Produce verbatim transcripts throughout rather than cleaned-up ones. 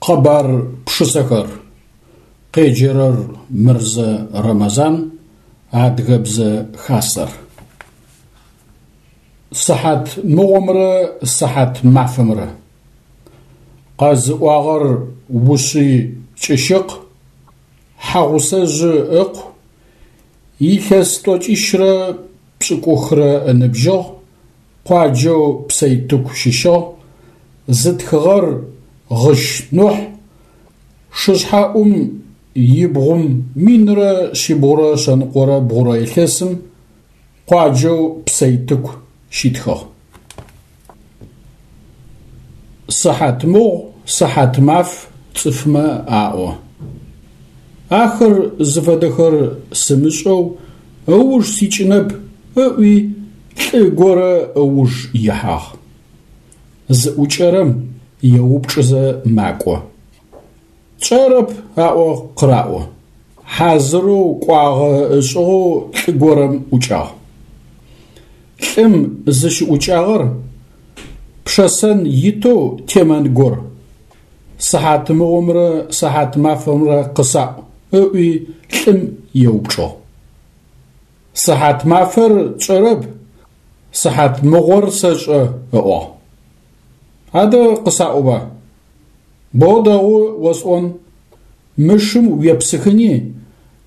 Къэбар пшысэхэр. Къеджэрэр Мырзэ Рэмэзан, Адыгэбзэ Хасэр. Сыхьат мыгъомрэ сыхьат мафэмрэ. Къэзыӏуагъэр Ушъый Кӏыщыкъ, Хьагъусэжъы ыкъу, илъэс тӏокӏищрэ пшӏыкӏухрэ ыныбжьыгъ, къуаджэу Псэйтыку щыщыгъ, зытхыгъэр Гъыщ Нухь, шышъхьэӏум ибгъум минрэ шъибгъурэ шъэныкъорэ бгъурэ илъэсым къуаджэу Псэйтыку щитхыгъ. Сыхьат мыгъу, сыхьат маф цӏыфмэ аӏо. Ахэр зыфэдэхэр сымышӏэу ыуж сикӏынэп ыӏуи лӏы горэ ыуж ихьагъ. Зыӏукӏэрэм еупчӏызэ макӏо. Тшӏэрэп аӏо къыраӏо. Хьазырэу кӏуагъэ ышӏыгъэу лӏы горэм ӏукӏагъ. Лӏым зыщыӏукӏагъэр пшэсэн итэу темэн гор. Сыхьат мыгъомрэ сыхьат мафэмрэ къысаӏу, ыӏуи лӏым еупчӏыгъ. Сыхьат мафэр тшӏэрэп, сыхьат мыгъор сэшӏэ, ыӏуагъ. Адэ къысаӏоба. Боу дэгъу осӏон. Мы шым уепсыхыни,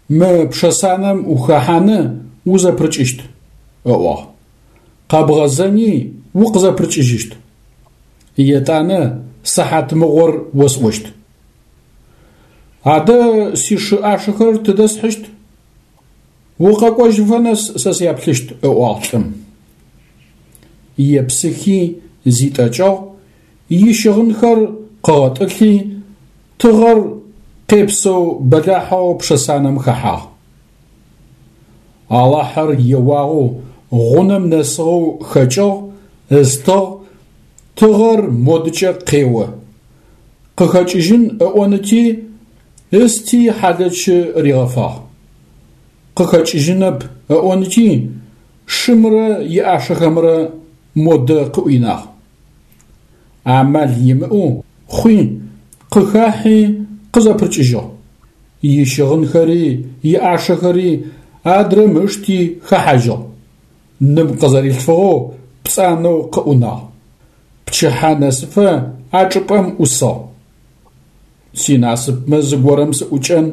мы пшэсанэм ухэхьаны узэпырыкӏыщт, ыӏуагъ. Къэбгъэзэни укъызэпырыкӏыжьыщт. Етӏанэ сыхьат мыгъор осӏощт. Адэ сишы ӏашэхэр тыдэ схьыщт? Укъэкӏожьыфэ нэс сэ сяплъыщт, ыӏуагъ лӏым. Епсыхи зитӏэкӏыгъ, ищыгъынхэр къыгъэтӏылъи, тыгъэр къепсэу бэлахьэу пшэсанэм хэхьагъ. Алахьэр еуагъэу гъунэм нэсыгъэу хэкӏыгъ, ыстыгъ, тыгъэр модыкӏэ къео. Къыхэкӏыжьын ыӏоныти, ысти хьалэчы ригъэфагъ. Къыхэкӏыжьынэп ыӏоныти, шымрэ иӏашэхэмрэ модэ къыӏуинагъ. Амал имыӏэу хъуи, къыхахьи къызэпырыкӏыжьыгъ. Ищыгъынхэри иӏашэхэри адрэм ышти хэхьажьыгъ. Ным къызэрилъфыгъэу пцӏанэу къыӏунагъ. Пчыхьэ нэсыфэ а чӏыпӏэм ӏусыгъ. Синасыпмэ зыгорэм сыӏукӏэн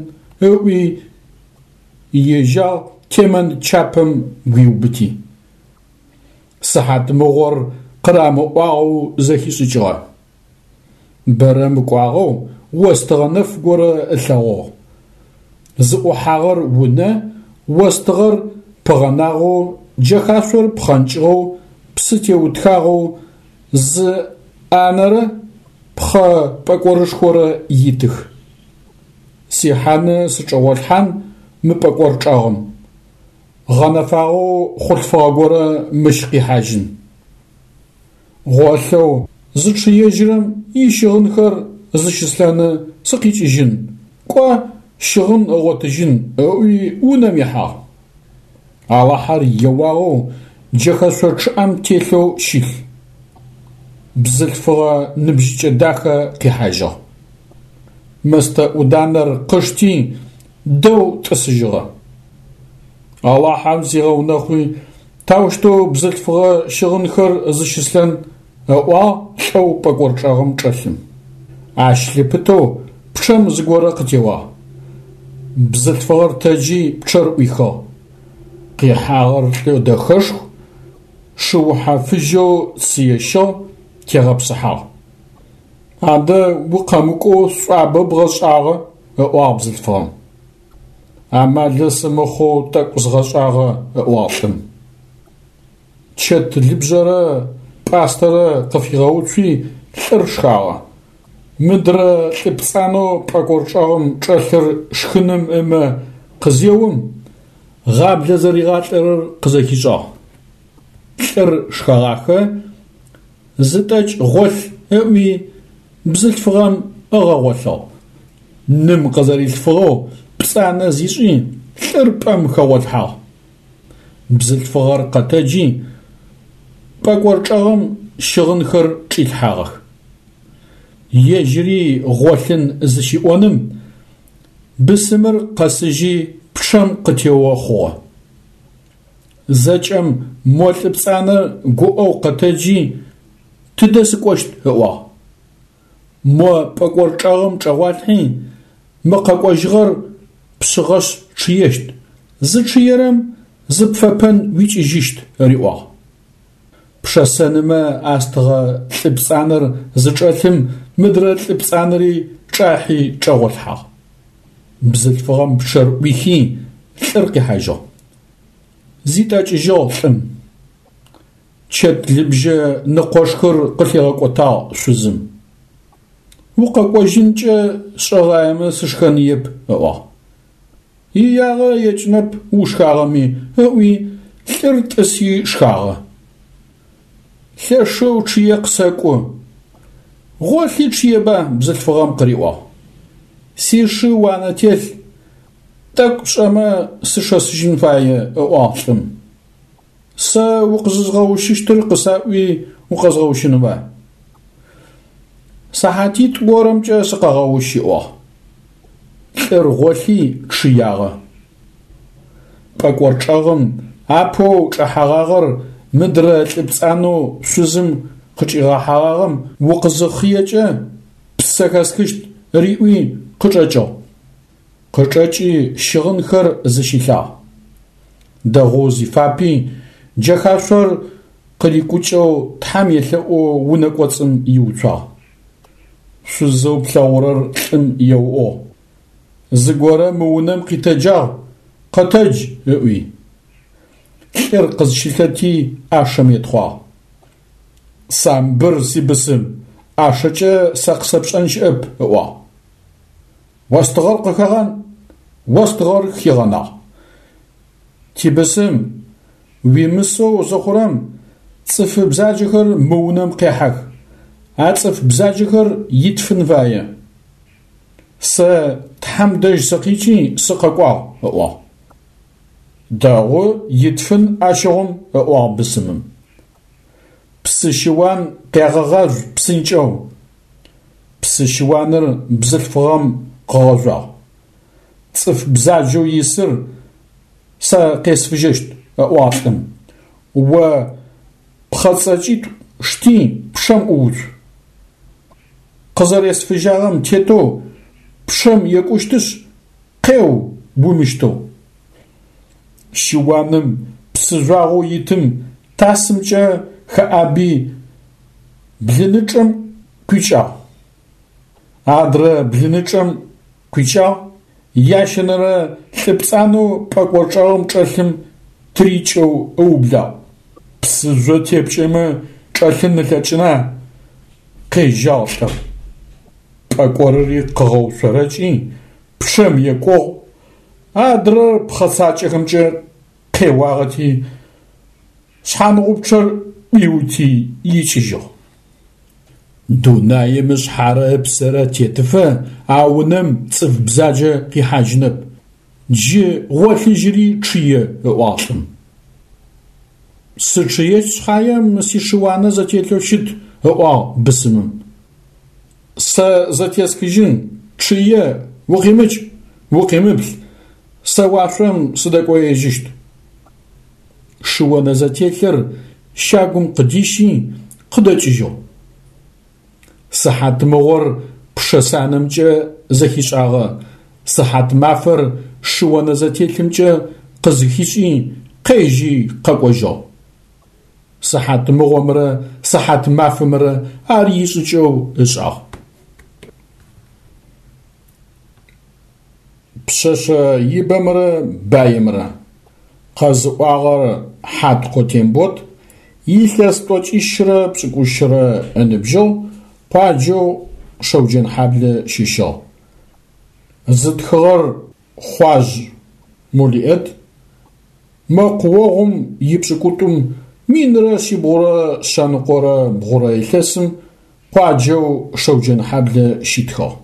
ыӏуи ежьагъ темэн чапэм гуиубыти. Сыхьат мыгъор къырамыӏуагъэу зэхишӏыкӏыгъэ. Бэрэ мыкӏуагъэу остыгъэ нэф горэ ылъэгъугъ. Зыӏухьагъэр унэ, остыгъэр пыгъэнагъэу, джэхашъор пхъэнкӏыгъэу, псы теутхагъэу зы ӏанэрэ пхъэ пӏэкӏорышхорэ итых. Сихьаны сычӏэгъолъхьан мы пӏэкӏор чӏэгъым. Гъэнэфагъэу хъулъфыгъэ горэ мыщ къихьажьын. Гъолъэу зычъыежьырэм ищыгъынхэр зыщыслъэны сыкъикӏыжьын, кӏо щыгъын ыгъотыжьын ыӏуи унэм ихьагъ. Алахьэр еуагъэу джэхэшъо чъыӏэм телъэу щылъ. Бзылъфыгъэ ныбжьыкӏэ дахэ къихьажьыгъ. Мэстэ ӏуданэр къышти дэу тӏысыжьыгъэ. Алахьэм сигъэунэхъуи таущтэу бзылъфыгъэ щыгъынхэр зыщыслъэн ыӏуагъ лӏэу пӏэкӏор чӏэгъым чӏэлъым. Ащ лъыпытэу пчъэм зыгорэ къытеуагъ. Бзылъфыгъэр тэджи пчъэр ӏуихыгъ. Къихьагъэр лӏы дэхэшху, шыухьэ фыжьэу цые щыгъ, тегъэпсыхьагъ. Адэ укъэмыкӏоу сшӏуабэ бгъэшӏагъэ, ыӏуагъ бзылъфыгъэм. Амалы сымыхъоу тӏэкӏу згъэшӏагъэ, ыӏуагъ лӏым. Чэт лыбжьэрэ пӏастэрэ къыфигъэуцуи лӏыр шхагъэ. Мыдрэ лӏы пцӏанэу пӏэкӏор чӏэгъым чӏэлъыр шхыным ымэ къызеум, гъаблэ зэригъалӏэрэр къызэхишӏагъ. Лӏыр шхэгъахэ, зытӏэкӏ гъолъ ыӏуи бзылъфыгъэм ыгъэгъолъыгъ. Ным къызэрилъфыгъэу пцӏанэ зишӏи лӏыр пӏэм хэгъолъхьагъ. Бзылъфыгъэр къэтэджи пӏэкӏор чӏэгъым щыгъынхэр чӏилъхьагъэх. Ежьыри гъолъын зыщиӏоным, бысымыр къэсыжьи пчъэм къытео хъугъэ. Зэкӏэм мо лӏы пцӏанэр гуӏэу къэтэджи «Тыдэ сыкӏощт?» ыӏуагъ. Мо пӏэкӏор чӏэгъым чӏэгъуалъхьи, мы къэкӏожьыгъэр пшъыгъэшъ чъыещт, зычъыерэм зыпфэпэн уикӏыжьыщт, риӏуагъ. Пшэсэнымэ астыгъэ лӏы пцӏанэр зычӏэлъым мыдрэ лӏы пцӏанэри чӏахьи чӏэгъолъхьагъ. Бзылъфыгъэм пчъэр ӏуихи лӏыр къихьажьыгъ. Зитӏэкӏыжьыгъ лӏым. Чэт лыбжьэ ныкъошхыр къылъигъэкӏотагъ шъузым. Укъэкӏожьынкӏэ сшӏэгъаемэ сышхэныеп, ыӏуагъ. Иягъэ екӏынэп ушхагъэми, ыӏуи лӏыр тӏыси шхагъэ. Лъэшэу чъые къысэкӏу. Гъолъи чъыеба, бзылъфыгъэм къыриӏуагъ. Сишы уанэ телъ, тӏэкӏу шӏэмэ сышэсыжьын фае, ыӏуагъ лӏым. Сэ укъызызгъэущыщтыр къысаӏуи укъэзгъэущынба? Сыхьатитӏу горэмкӏэ сыкъэгъэущ, ыӏуагъ. Лӏыр гъолъи чъыягъэ. Пӏэкӏор чӏэгъым апэу чӏэхьэгъагъэр мыдрэ лӏы пцӏанэу шъузым къычӏигъэхьэгъагъэм укъызыхъыекӏэ ппсэ хэсхыщт риӏуи къычӏэкӏыгъ. Къычӏэкӏи щыгъынхэр зыщилъагъ. Дэгъоу зифапи джэхашъор къырикӏукӏэу Тхьэм елъэӏоу унэ кӏоцӏым иуцуагъ. Шъузэу плъэгъурэр лӏым еуӏугъ: «Зыгорэ мы унэм къитэджагъ, къэтэдж!» ыӏуи. Лӏыр къызщылъэти ӏашэм етхъуагъ. «Самбыр сибысым, ӏашэкӏэ сэ къысэпшӏэн щыӏэп», ыӏуагъ. Остыгъэр къыхэгъан, остыгъэр хигъэнагъ. Тибысым, уимысэу зыхъурэм цӏыф бзаджэхэр мы унэм къехьэх, а цӏыф бзаджэхэр итфын фае. Сэ Тхьэм дэжь сыкъикӏи сыкъэкӏуагъ, ыӏуагъ. Дэгъу итфын ащыгъум, ыӏуагъ бысымым. Псы щыуан къягъэгъажъу псынкӏэу. Псы щыуаныр бзылъфыгъэм къыгъэжъуагъ. Цӏыф бзаджэу исыр сэ къесфыжьэщт, ыӏуагъ лӏым. О пхъэцӏэкӏитӏу шти пчъэм ӏууцу. Къызэресфыжьагъэм тетэу пчъэм екӏущтышъ, къеу умыщтэу. Щыуаным псы жъуагъэу итым тасымкӏэ хэӏаби блынычӏэм къуикӏагъ. Адрэ блынычӏэм къуикӏагъ, ящэнэрэ лӏы пцӏанэу пӏэкӏор чӏэгъым чӏэлъым тырикӏэу ыублагъ. Псыжъо тепкӏэмэ чӏэлъын ылъэкӏына, къежьагъ лӏыр. Пӏэкӏорыри къыгъэушъорэкӏи пчъэм екӏугъ, адрэр пхъэцакӏэхэмкӏэ къеуагъэти шъхьангъупчъэр ӏуиути икӏыжьыгъ. Дунаим ышъхьэрэ ыпсэрэ тетыфэ а унэм цӏыф бзаджэ къихьажьынэп, джы гъолъыжьыри чъые, ыӏуагъ лӏым. Сычъыещт шъхьаем сишыуанэ зэтелъэу щыт, ыӏуагъ бысымым. Сэ зэтесхыжьын, чъые, укъимыкӏ, укъимыплъ, сэ уашъом сыдэкӏоежьыщт. Шыонэ зэтелъыр щагум къыдищи къыдэкӏыжьыгъ. Сыхьатмыгъор пшэсанэмкӏэ зэхишӏагъэ, сыхьатмафэр шыонэ зэтелъымкӏэ къызыхишӏи къежьи къэкӏожьыгъ. Сыхьатмыгъомрэ сыхьатмафэмрэ ар ишӏыкӏэу ышӏагъ. Пшъэшъэ ибэмрэ баимрэ. Къэзыӏуагъэр Хьаткъо Тембот, илъэс тӏокӏищрэ пшӏыкӏущрэ ыныбжьыгъ, къуаджэу Шэуджэнхьаблэ щыщыгъ. Зытхыгъэр Хъуажъ Мулиӏэт, мэкъуогъум ипшӏыкӏутӏум минрэ шъибгъурэ шъэныкъорэ бгъурэ илъэсым къуаджэу Шэуджэнхьаблэ щитхыгъ.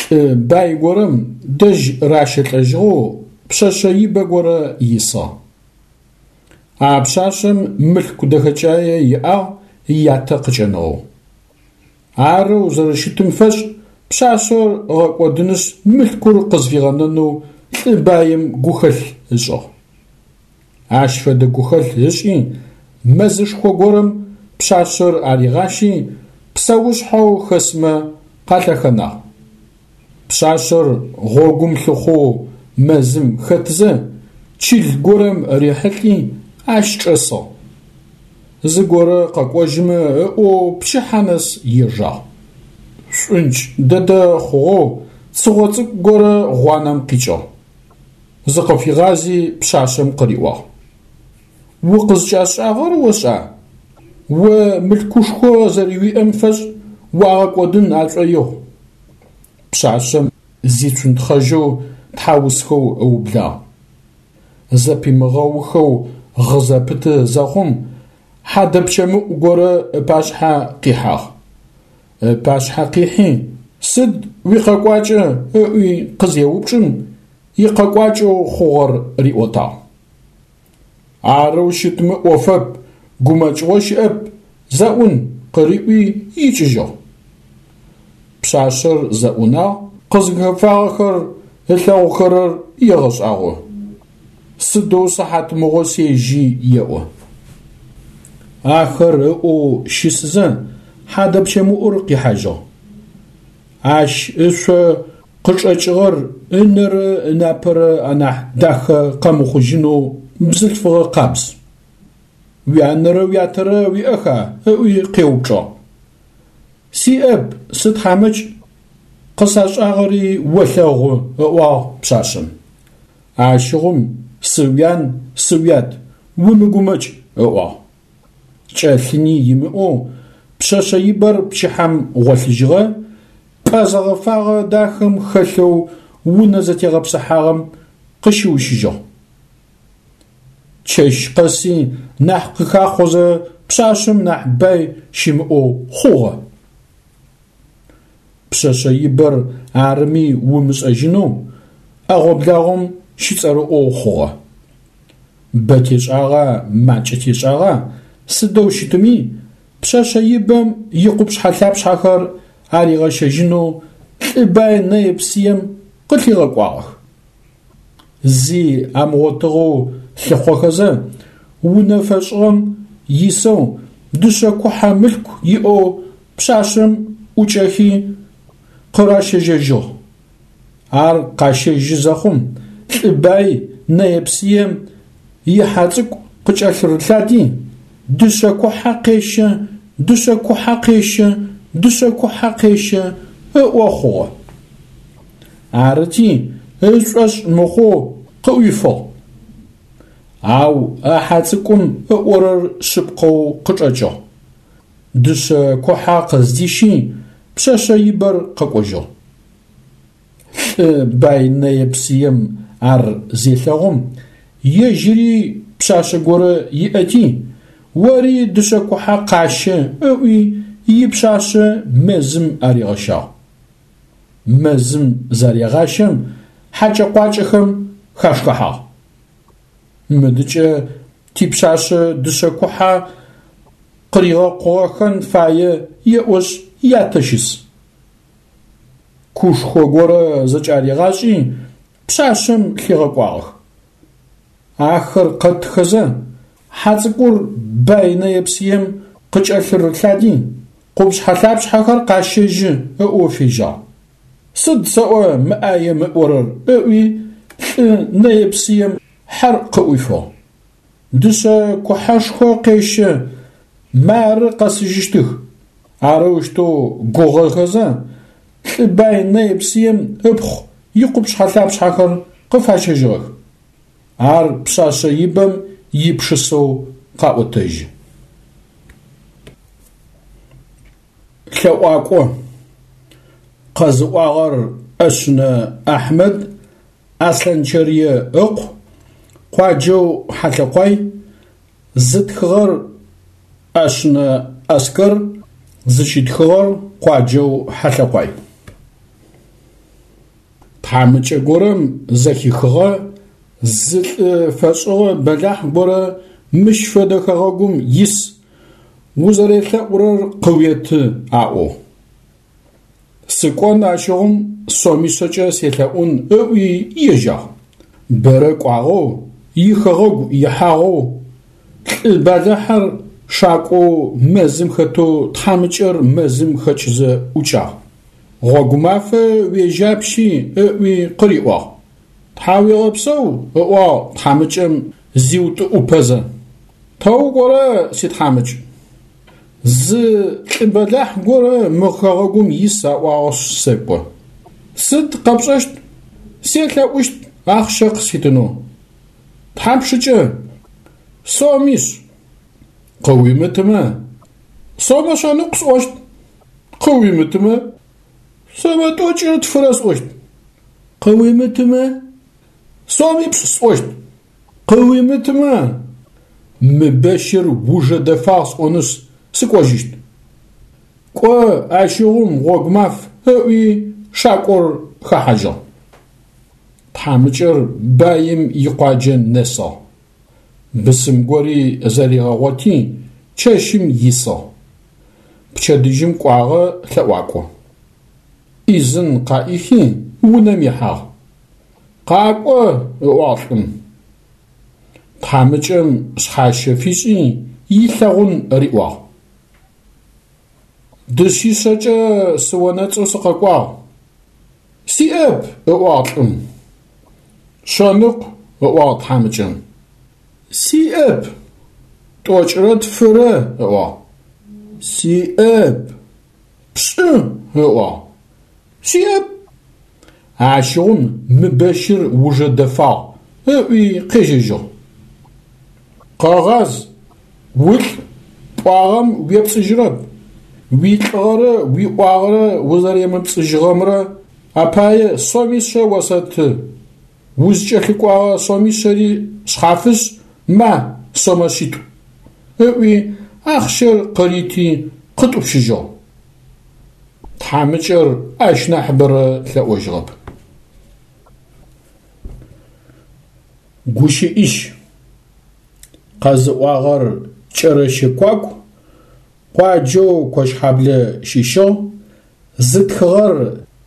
Лӏы бай горэм дэжь ращэлӏэжьыгъэу пшъэшъэ ибэ горэ исыгъ. А пшъашъэм мылъку дэхэкӏае иӏагъ ятэ къыкӏэныгъэу. Арэу зэрэщытым фэшӏ пшъашъэр ыгъэкӏодынышъ мылъкур къызфигъэнэнэу лӏы баим гухэлъ ышӏыгъ. Ащ фэдэ гухэлъ ышӏи мэзышхо горэм пшъашъэр аригъащи псэушъхьэу хэсмэ къалъэхэнагъ. Пшъашъэр гъогум лъыхъоу мэзым хэтзэ чыл горэм рихьылӏи ащ чӏэсыгъ. Зыгорэ къэкӏожьымэ ыӏоу пчыхьэ нэс ежагъ. Шӏункӏ дэдэ хъугъэу цыгъо цӏыкӏу горэ гъуанэм къикӏыгъ. Зыкъыфигъази пшъашъэм къыриӏуагъ: «Укъызкӏасшӏагъэр ошӏа? О мылъкушхо зэрэуиӏэм фэшӏ уагъэкӏодын ашӏоигъу». Пшъашъэм зицунтхъэжьэу тхьаусхэу ыублагъ. Зэпимыгъэухэу гъы зэпыты зэхъум хьадэпчэмыӏу горэ ыпашъхьэ къихьагъ. Ыпашъхьэ къихьи «Сыд уикъэкӏуакӏэ?» ыӏуи къызеупчӏым, икъэкӏуакӏэу хъугъэр риӏотагъ. «Арэу щытмэ ӏофэп, гумэкӏыгъо щыӏэп, зэӏун», къыриӏуи икӏыжьыгъ. Пшъашъэр зэӏунагъ, къызыхэфагъэхэр ылъэгъухэрэр егъэшӏагъо. «Сыдэу сыхьатмыгъо сежьи», еӏо. Ахэр ыӏоу щысызэ хьадэпчэмыӏур къихьажьыгъ. Ащ ышъо къычӏэкӏыгъэр ынэрэ ынапэрэ анахь дахэ къэмыхъужьынэу бзылъфыгъэ къабз. «Уянэрэ уятэрэ уиӏэха?» ыӏуи къеупчӏыгъ. «Сиӏэп, сытхьамыкӏ, къысашӏагъэри олъэгъу», ыӏуагъ пшъашъэм. Ащыгъум сыуян, сыуят, умыгумэкӏ, ыӏуагъ. Кӏэлъыни имыӏэу пшъэшъэ ибэр пчыхьэм гъолъыжьыгъэ, пӏэ зэгъэфагъэ дахэм хэлъэу унэ зэтегъэпсыхьагъэм къыщыущыжьыгъ. Чэщ къэси нахь къыхахъозэ пшъашъэм нахь бай щымыӏэу хъугъэ. Пшъэшъэ ибэр арыми умышӏэжьынэу ӏэгъо-благъом щыцӏэрыӏоу хъугъэ. Бэ тешӏагъа, макӏэ тешӏагъа, сыдэу щытми, пшъэшъэ ибэм икъупшъхьэ-лъапшъхьэхэр аригъэщэжьынэу лӏы бай нэе-псыем къылъигъэкӏуагъэх. Зи амыгъотыгъэу лъыхъохэзэ, унэ фэшӏыгъэм исэу дышъэ кухьэ мылъку иӏэу пшъашъэм ӏукӏэхи къыращэжьэжьыгъ. Ар къащэжьы зэхъум лӏы бай нэе-псыем ихьэ цӏыкӏу къыкӏэлъырылъади «Дышъэ кухьэ къещэ, дышъэ кухьэ къещэ, дышъэ кухьэ къещэ» ыӏо хъугъэ. Арыти ышӏошъ мыхъоу къыӏуифыгъ. Ау а хьэ цӏыкӏум ыӏорэр шъыпкъэу къычӏэкӏыгъ. Дышъэ кухьэ къыздищи пшъэшъэ ибэр къэкӏожьыгъ. Лӏы бай нэе-псыем ар зелъэгъум, ежьыри пшъашъэ горэ иӏэти, «Ори дышъэ кухьэ къащэ» ыӏуи ипшъашъэ мэзым аригъэщагъ. Мэзым зарегъащэм хьакӏэ-къуакӏэхэм хашхыхьагъ. «Мыдыкӏэ типшъашъэ дышъэ кухьэ къыригъэкъугъэхэн фае», еӏошъ ятэ щыс. Кушхо горэ зэкӏаригъашӏи пшъашъэм лъигъэкӏуагъэх. Ахэр къэтхэзэ хьэ цӏыкӏур бай нэе-псыем къыкӏэлъырылъади «Къупшъхьэ-лъапшъхьэхэр къащэжьы» ыӏоу фежьагъ. «Сыд сэӏо мы ӏаем ыӏорэр?» ыӏуи лӏы нэе-псыем хьэр къыӏуифыгъ. «Дышъэ кухьэшхо къещэ, мары къэсыжьыщтых». Арэущтэу гугъэхэзэ лӏы бай нэе-псыем ыпхъу икъупшъхьэ-лъапшъхьэхэр къыфащэжьыгъэх. Ар пшъашъэ ибэм ипшысэу къаӏотэжьы. Лъэӏуакӏо. Къэзыӏуагъэр ӏэшъынэ Ахьмэд Аслъанчэрые ыкъу, къуаджэу Хьалъэкъуай, зытхыгъэр ӏэшъынэ Аскэр, зыщитхыгъэр къуаджэу Хьалъэкъуай. Тхьамыкӏэ горэм зэхихыгъэ зы лӏы фэшӏыгъэ бэлахь горэ мыщ фэдэ хэгъэгум ис, узэрелъэӏурэр къыуеты аӏоу. Сыкӏон ащыгъум сомишъэкӏэ селъэӏун ыӏуи ежьагъ. Бэрэ кӏуагъэу, ихэгъэгу ихьагъэу, лӏы бэлахьыр шакӏоу мэзым хэтэу тхьамыкӏэр мэзым хэкӏызэ ӏукӏагъ. Гъогумафэ уежьапщи ыӏуи къыриӏуагъ. Тхьауегъэпсэу, ыӏуагъ тхьамыкӏэм зиутӏыӏупэзэ. Тэ укӏорэ, си тхьамыкӏ? Зы лӏы бэлахь горэ мы хэгъэгум ис аӏуагъэшъ сэкӏо. Сыд къэпшӏэщт? Селъэӏущт ахъщэ къыситынэу. Тхьапшыкӏэ? Сомишъ. Къыуимытымэ, сомэ шъэныкъу сӏощт. Къыуимытымэ, сомэ тӏокӏырэ тфырэ сӏощт. Къыуимытымэ, сомипшӏ сӏощт. Къыуимытымэ, мы бэщыр ужэ дэфагъ сӏонышъ сыкӏожьыщт. Кӏо ащыгъум гъогумаф, ыӏуи шакӏор хэхьажьыгъ. Тхьамыкӏэр баим икъуаджэ нэсыгъ. Бысым гори зэригъэгъоти чэщым исыгъ. Пчэдыжьым кӏуагъэ лъэӏуакӏо. Ӏизын къаӏихи унэм ихьагъ. Къакӏо, ыӏуагъ лӏым. Тхьамыкӏэм шъхьащэ фишӏи илъэгъун риӏуагъ. Дышъишъэкӏэ сыонэцӏэу сыкъэкӏуагъ. Сиӏэп, ыӏуагъ лӏым. Шъэныкъу, ыӏуагъ тхьамыкӏэм. Сиӏэп. Тӏокӏырэ тфырэ, ыӏуагъ. Сиӏэп. Пшӏы, ыӏуагъ. Сиӏэп. Ащыгъум мы бэщыр ужэ дэфагъ, ыӏуи къежьэжьыгъ. Къэгъаз, улӏ, пӏуагъэм уепцӏыжьырэп. Уилӏыгъэрэ уиӏуагъэрэ узэремыпцӏыжьыгъэмрэ апае сомишъэ осэты. Узкӏэлъыкӏогъэ сомишъэри шъхьафышъ, ма сомэ шъитӏу, ыӏуи ахъщэр къырити къытӏупщыжьыгъ. Тхьамыкӏэр ащ нахьыбэрэ лъэӏожьыгъэп. Гущыӏищ. Къэзыӏуагъэр Кӏэрэщэ Куаку, къуаджэу Кощхьаблэ щыщыгъ, зытхыгъэр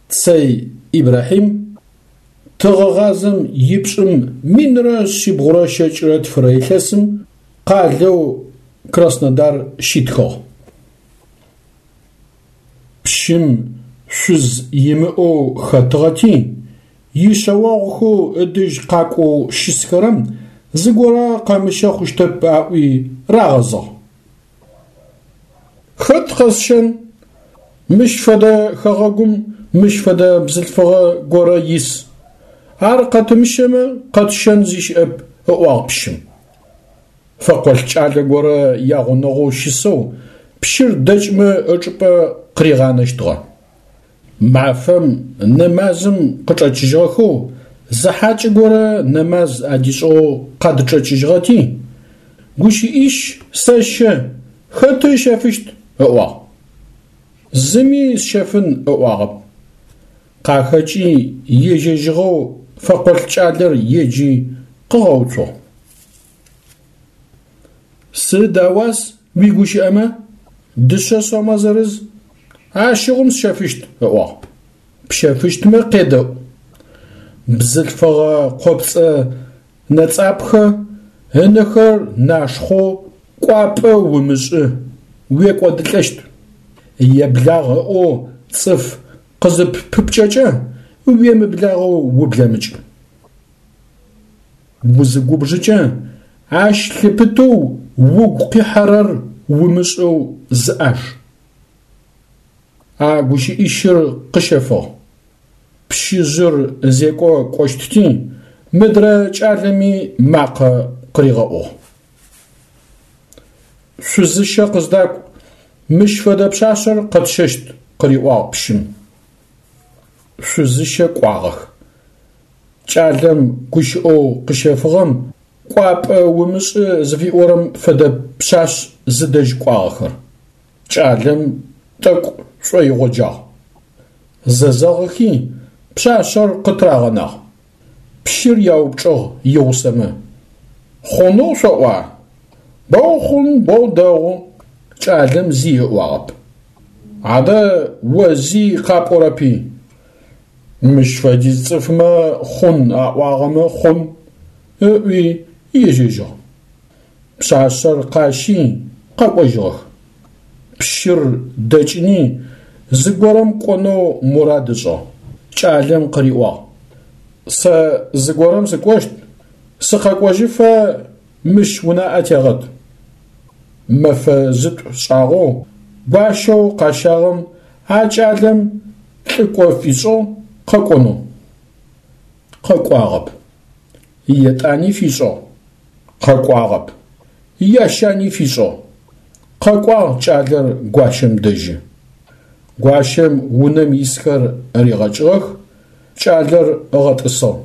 Цэй Ибрахьим, тыгъэгъазэм ипшӏым минрэ шъибгъурэ щэкӏырэ тфырэ илъэсым къалэу Краснодар щитхыгъ. Пщым шъуз имыӏэу хэтыгъэти, ишъэогъухэу ыдэжь къакӏоу щысхэрэм зыгорэ къэмыщэ хъущтэп аӏуи рагъэзыгъ. Хэт къэсщэн? Мыщ фэдэ хэгъэгум мыщ фэдэ бзылъфыгъэ горэ ис. Ар къэтымыщэмэ къэтщэн зи щыӏэп, ыӏуагъ пщым. Фэкъолӏ кӏалэ горэ ягъунэгъоу щысэу пщыр дэкӏмэ ычӏыпӏэ къыригъанэщтыгъэ. Мафэм нэмазым къычӏэкӏыжьыгъэхэу зы хьакӏэ горэ нэмаз адишӏыгъэу къадычӏэкӏыжьыгъэти, гущыӏищ сэщэ, хэты ыщэфыщт, ыӏуагъ. Зыми сщэфын ыӏуагъэп. Къахэкӏи ежьэжьыгъэу фэкъолӏ кӏалэр еджи къыгъэуцугъ. Сыд ауас уигущыӏэмэ? Дышъэ сомэ зырыз. Ащыгъум сщэфыщт, ыӏуагъ. Пщэфыщтмэ къедэӏу. Бзылъфыгъэ къопцӏэ нэцӏапхэ, ынэхэр нашхъоу кӏуапӏэ умышӏы, уекӏодылӏэщт. Еблагъ ыӏоу цӏыф къызыппыпкӏэкӏэ уемыблагъэу ублэмыкӏ. Узыгубжыкӏэ ащ лъыпытэу угу къихьэрэр умышӏэу зыӏаж. А гущыӏищыр къыщэфыгъ. Пщыжъыр зекӏо кӏощтти, мыдрэ кӏалэми макъэ къыригъэӏугъ. Шъузыщэ къыздакӏу, мыщ фэдэ пшъашъэр къэтщэщт, къыриӏуагъ пщым. Шъузыщэ кӏуагъэх. Кӏалэм гущыӏэу къыщэфыгъэм кӏуапӏэ умышӏы зыфиӏорэм фэдэ пшъашъ зыдэжь кӏуагъэхэр. Кӏалэм тӏэкӏу шӏоигъоджагъ. Зэзэгъыхи пшъашъэр къытырагъэнагъ. Пщыр яупчӏыгъ игъусэмэ: Хъунэу шъоӏуа? Боу хъун, боу дэгъу. Кӏалэм зи ыӏуагъэп. Адэ о зи къапӏорэпи? Мыщ фэдиз цӏыфмэ хъун аӏуагъэмэ хъун, ыӏуи ежьэжьыгъ. Пшъашъэр къащи къэкӏожьыгъэх. Пщыр дэкӏыни зыгорэм кӏонэу мурад ышӏыгъ. Кӏалэм къыриӏуагъ: Сэ зыгорэм сыкӏощт, сыкъэкӏожьыфэ мыщ унаӏэ тегъэт. Мэфэ зытӏу шӏагъэу гуащэу къащагъэм а кӏалэм лӏыкӏо фишӏыгъ къэкӏонэу. Къэкӏуагъэп. Етӏани фишӏыгъ. Къэкӏуагъэп. Ящани фишӏыгъ. Къэкӏуагъ кӏалэр гуащэм дэжьы. Гуащэм унэм исхэр ригъэкӏыгъэх, кӏалэр ыгъэтӏысыгъ.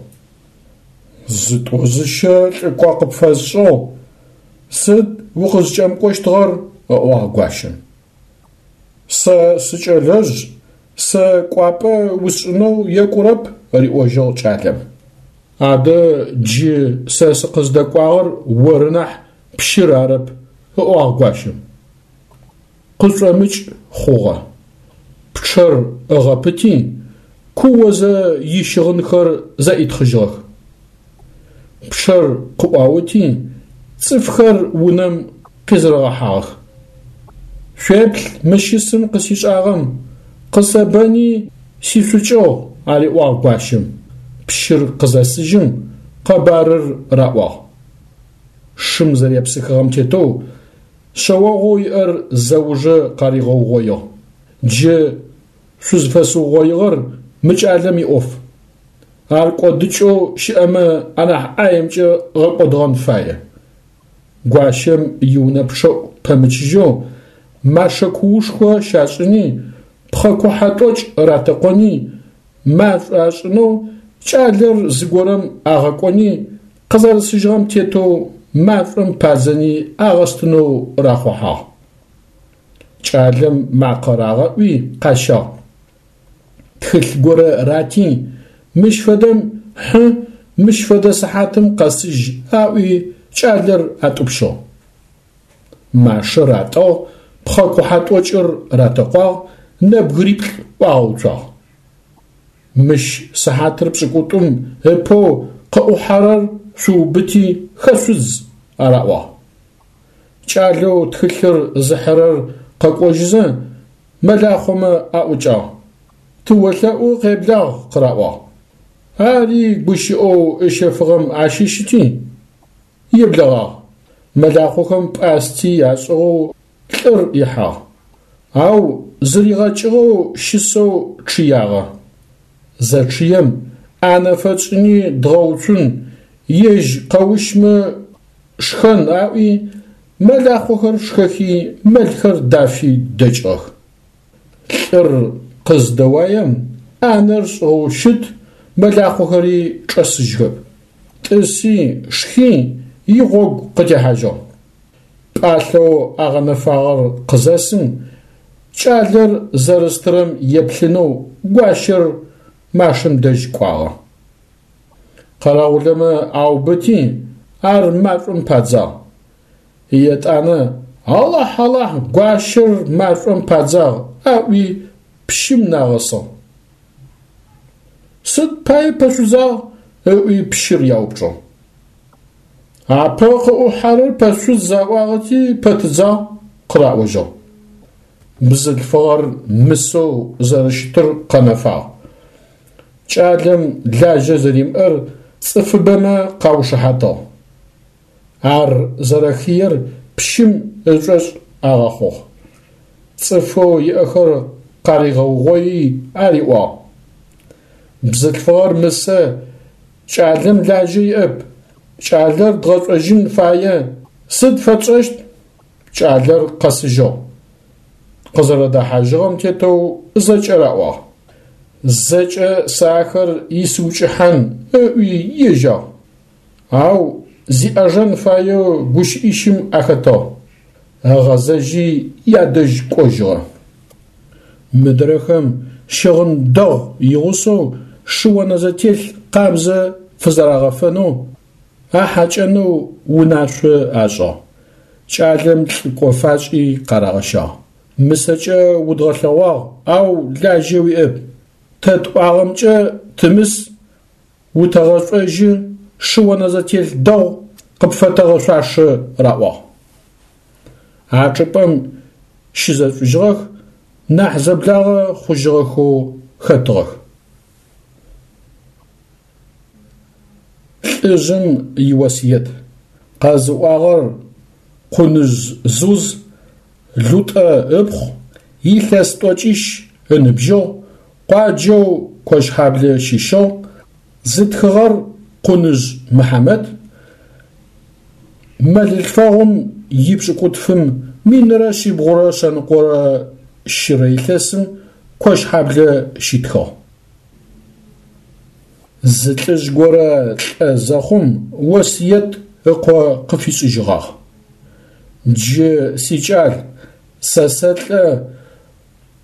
Зытӏо-зыщэ лӏыкӏо къыпфэсшӏыгъ, сыд укъызкӏэмыкӏощтыгъэр? ыӏуагъ гуащэм. Сэ сыкӏэлэжъ, сэ кӏуапӏэ усшӏынэу екӏурэп, риӏожьыгъ кӏалэм. Адэ джы сэ сыкъыздэкӏуагъэр оры нахь пщыр арэп, ыӏуагъ гуащэм. Къышӏомыкӏ хъугъэ. Пчъэр ыгъэпыти, куозэ ищыгъынхэр зэӏитхъыжьыгъэх. Пчъэр къыӏуаути, цӏыфхэр унэм къизэрэгъэхьагъэх. Шъуеплъ мы щысым къысишӏагъэм, къысэбэни сишъукӏыгъ, ариӏуагъ гуащэм. Пщыр къызэсыжьым къэбарыр раӏуагъ. Шым зэрепсыхыгъэм тетэу шъэогъоу иӏэр зэужэ къаригъэугъоигъ. Джы шъузфэсыугъоигъэр мы кӏалэм иӏоф. Ар кӏодыкӏэу щыӏэмэ анахь ӏаемкӏэ гъэкӏодыгъэн фае. Гуащэм иунэ пчъэӏу пэмычыжьэу машэ куушхо щашӏыни, пхъэ кухьэ тӏокӏ ратэкъони, машӏо ашӏынэу кӏалэр зыгорэм агъэкӏони, къызэрысыжьыгъэм тетэу машӏом падзэни агъэстынэу рахъухьагъ. Кӏалэм макъэ рагъэӏуи къащагъ. Тхылъ горэ рати, мыщ фэдэм хьы, мыщ фэдэ сыхьатым къэсыжь аӏуи кӏалэр атӏупщыгъ. Машэр атӏыгъ, пхъэ кухьэ тӏокӏыр ратэкъуагъ, нэбгыриплӏ ӏуагъэуцуагъ. Мыщ сыхьатыр пшӏыкӏутӏум ыпэу къыӏухьэрэр шъуубыти хэшъудз, араӏуагъ. Кӏалэу тхылъыр зыхьырэр къэкӏожьызэ мэлахъомэ аӏукӏагъ. Тыолъэӏу къеблагъ къыраӏуагъ. Ари гущыӏэу ыщэфыгъэм ащыщыти, еблэгъагъ. Мэлахъохэм пӏасти ашӏыгъэу лӏыр ихьагъ. Ау зыригъэкӏыгъэу щысэу чъыягъэ. Зэчъыем ӏанэ фэтшӏыни дгъэуцун, ежь къэущмэ шхэн аӏуи, мэлахъохэр шхэхи, мэлхэр дафи дэкӏыгъэх. Лӏыр къыздэуаем ӏанэр шӏыгъэу щыт, мэлахъохэри чӏэсыжьхэп. Тӏыси, шхи, игъогу къытехьажьыгъ. Пӏалъэу агъэнэфагъэр къызэсым, кӏалэр зэрыстырэм еплъынэу гуащэр машэм дэжь кӏуагъэ. Къэрэгъулэмэ аубыти, ар машӏом падзагъ. Етӏанэ Алахь, Алахь, гуащэр машӏом падзагъ, аӏуи пщым нагъэсыгъ. Сыд пае пэшъудзагъ? Ыӏуи пщыр яупчӏыгъ. Апэ къыӏухьэрэр пэшъудз аӏуагъэти пэтыдзагъ, къыраӏожьыгъ. Бзылъфыгъэр мысэу зэрэщытыр къэнэфагъ. Кӏалэм лажьэ зэримыӏэр цӏыфыбэмэ къаушыхьатыгъ. Ар зэрэхыер пщым ышӏошъ агъэхъугъ. Цӏыфэу иӏэхэр къаригъэугъои ариӏуагъ: Бзылъфыгъэр мысэ, кӏалэм лажьэ иӏэп, кӏалэр дгъэшӏожьын фае, сыд фэтшӏэщт? Кӏалэр къэсыжьыгъ. Къызэрэдэхьажьыгъэм тетэу зэкӏэ раӏуагъ. Зэкӏэ сэ ахэр исыукӏыхьан ыӏуи ежьагъ. Ау зиӏэжэн фаеу гущыӏищым ахэтыгъ. Ыгъэзэжьи ядэжь кӏожьыгъэ. Мыдрэхэм щыгъын дэгъу игъусэу шыонэзэтелъ къабзэ фызэрагъэфэнэу, ахьакӏэнэу унашъо ашӏыгъ. Кӏалэм лӏыкӏо фашӏи къарагъэщагъ. Мысэкӏэ удгъэлъэгъуагъ, ау лажьэ уиӏэп. Тэ тӏуагъэмкӏэ тымыс, утэгъэшӏожьы, шы-онэзэтелъ дэгъу къыпфэтэгъэшъуашэ, раӏуагъ. А чӏыпӏэм щызэшӏужьыгъэх, нахь зэблагъэ хъужьыгъэхэу хэтыгъэх. Лӏыжъым иосыет. Къэзыӏуагъэр Къуныжъ Зуз, Лутӏэ ыпхъу, илъэс тӏокӏищ ыныбжьыгъ, къуаджэу Кощхьаблэ щыщыгъ, зытхыгъэр Къуныжъ Мыхьамэт, мэлылъфэгъум ипшӏыкӏутфым минрэ шъибгъурэ шъэныкъорэ щырэ илъэсым Кощхьаблэ щитхыгъ. Зы лӏыжъ горэ лӏэ зэхъум осыет ыкъо къыфишӏыжьыгъагъ. Джы, сикӏал, сэ сэлӏэ,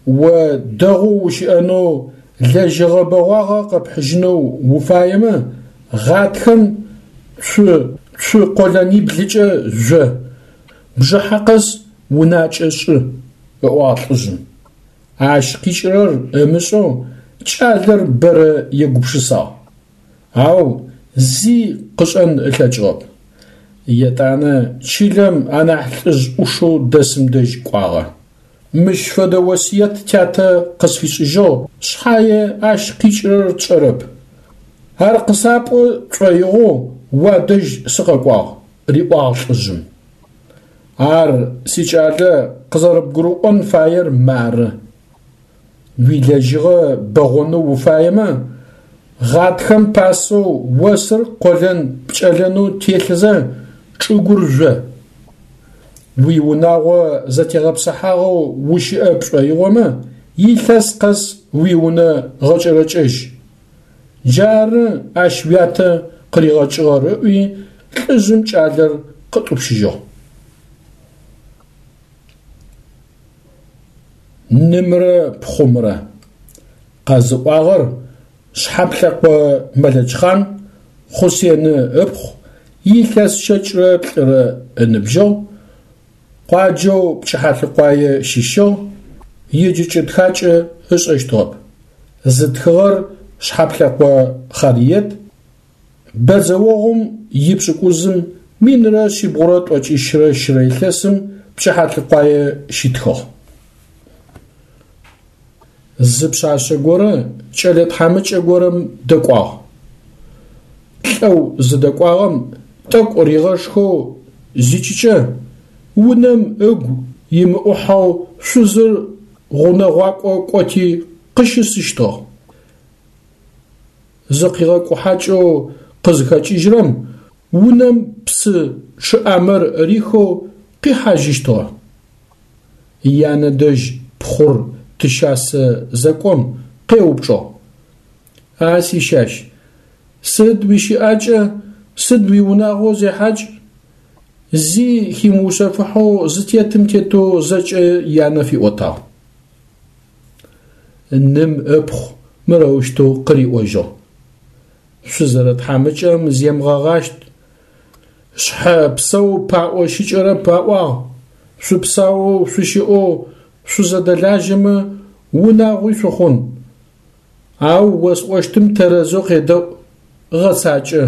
о дэгъоу ущыӏэнэу, лэжьыгъэ бэгъуагъэ къэпхьыжьынэу уфаемэ, гъатхэм цу цу къолэниблыкӏэ жъо, бжыхьэ къэс унакӏэ шӏы, ыӏуагъ лӏыжъым. Ащ къикӏырэр ымышӏэу кӏалэр бэрэ егупшысагъ, ау зи къышӏэн ылъэкӏыгъэп. Етӏанэ чылэм анахь лӏыжъ ӏушэу дэсым дэжь кӏуагъэ. Мыщ фэдэ осыет тятэ къысфишӏыжьыгъ шъхьае ащ къикӏырэр тшӏэрэп. Ар къысапӏо шӏоигъоу уадэжь сыкъэкӏуагъ, риӏуагъ лӏыжъым. Ар, сикӏалэ, къызэрэбгурыӏон фаер мары. Уилэжьыгъэ бэгъонэу уфаемэ, гъатхэм пасэу осыр къолэн пкӏэлэнэу телъызэ чӏыгур жъо. Уиунагъо зэтегъэпсыхьагъэу ущыӏэ пшӏоигъомэ, илъэс къэс уиунэ гъэкӏэрэкӏэжь. Джары ащ уятэ къыригъэкӏыгъэр ыӏуи лӏыжъым кӏалэр къытӏупщыжьыгъ. Нымрэ пхъумрэ. Къэзыӏуагъэр Шъхьаплъэкъо Мэлэчхъан, Хъусены ыпхъу, илъэс щэкӏрэ плӏырэ ыныбжьыгъ, къуаджэу Пчыхьалӏыкъуае щыщыгъ, еджэкӏэ-тхакӏэ ышӏэщтыгъэп. Зытхыгъэр Шъхьаплъэкъо Хъариет, бэдзэогъум ипшӏыкӏузым минрэ шъибгъурэ тӏокӏищрэ щырэ илъэсым Пчыхьалӏыкъуае щитхыгъ. Зы пшъашъэ горэ кӏэлэ тхьамыкӏэ горэм дэкӏуагъ. Лӏэу зыдэкӏуагъэм тӏэкӏу ригъэшхэу зикӏыкӏэ, унэм ыгу имыӏухьэу шъузыр гъунэгъуакӏо кӏоти къыщысыщтыгъ. Зыкъигъэкӏухьакӏэу къызыхэкӏыжьырэм унэм псы чъыӏамэр рихэу къихьажьыщтыгъэ. Янэ дэжь пхъур тыщасэ зэкӏом къеупчӏыгъ: А сищащ, сыд уищыӏакӏэ, сыд уиунагъо зехьакӏ? Зи химыушъэфыхьэу зытетым тетэу зэкӏэ янэ фиӏотагъ. Ным ыпхъу мырэущтэу къыриӏожьыгъ: Шъузэрэтхьамыкӏэм земыгъэгъащт, шъхьэ псэу паӏо щыкӏэрэп аӏуагъ, шъупсаоу шъущыӏэу шъузэдэлажьэмэ унагъуи шъухъун. Ау осӏощтым тэрэзэу къедэӏу, гъэцакӏэ.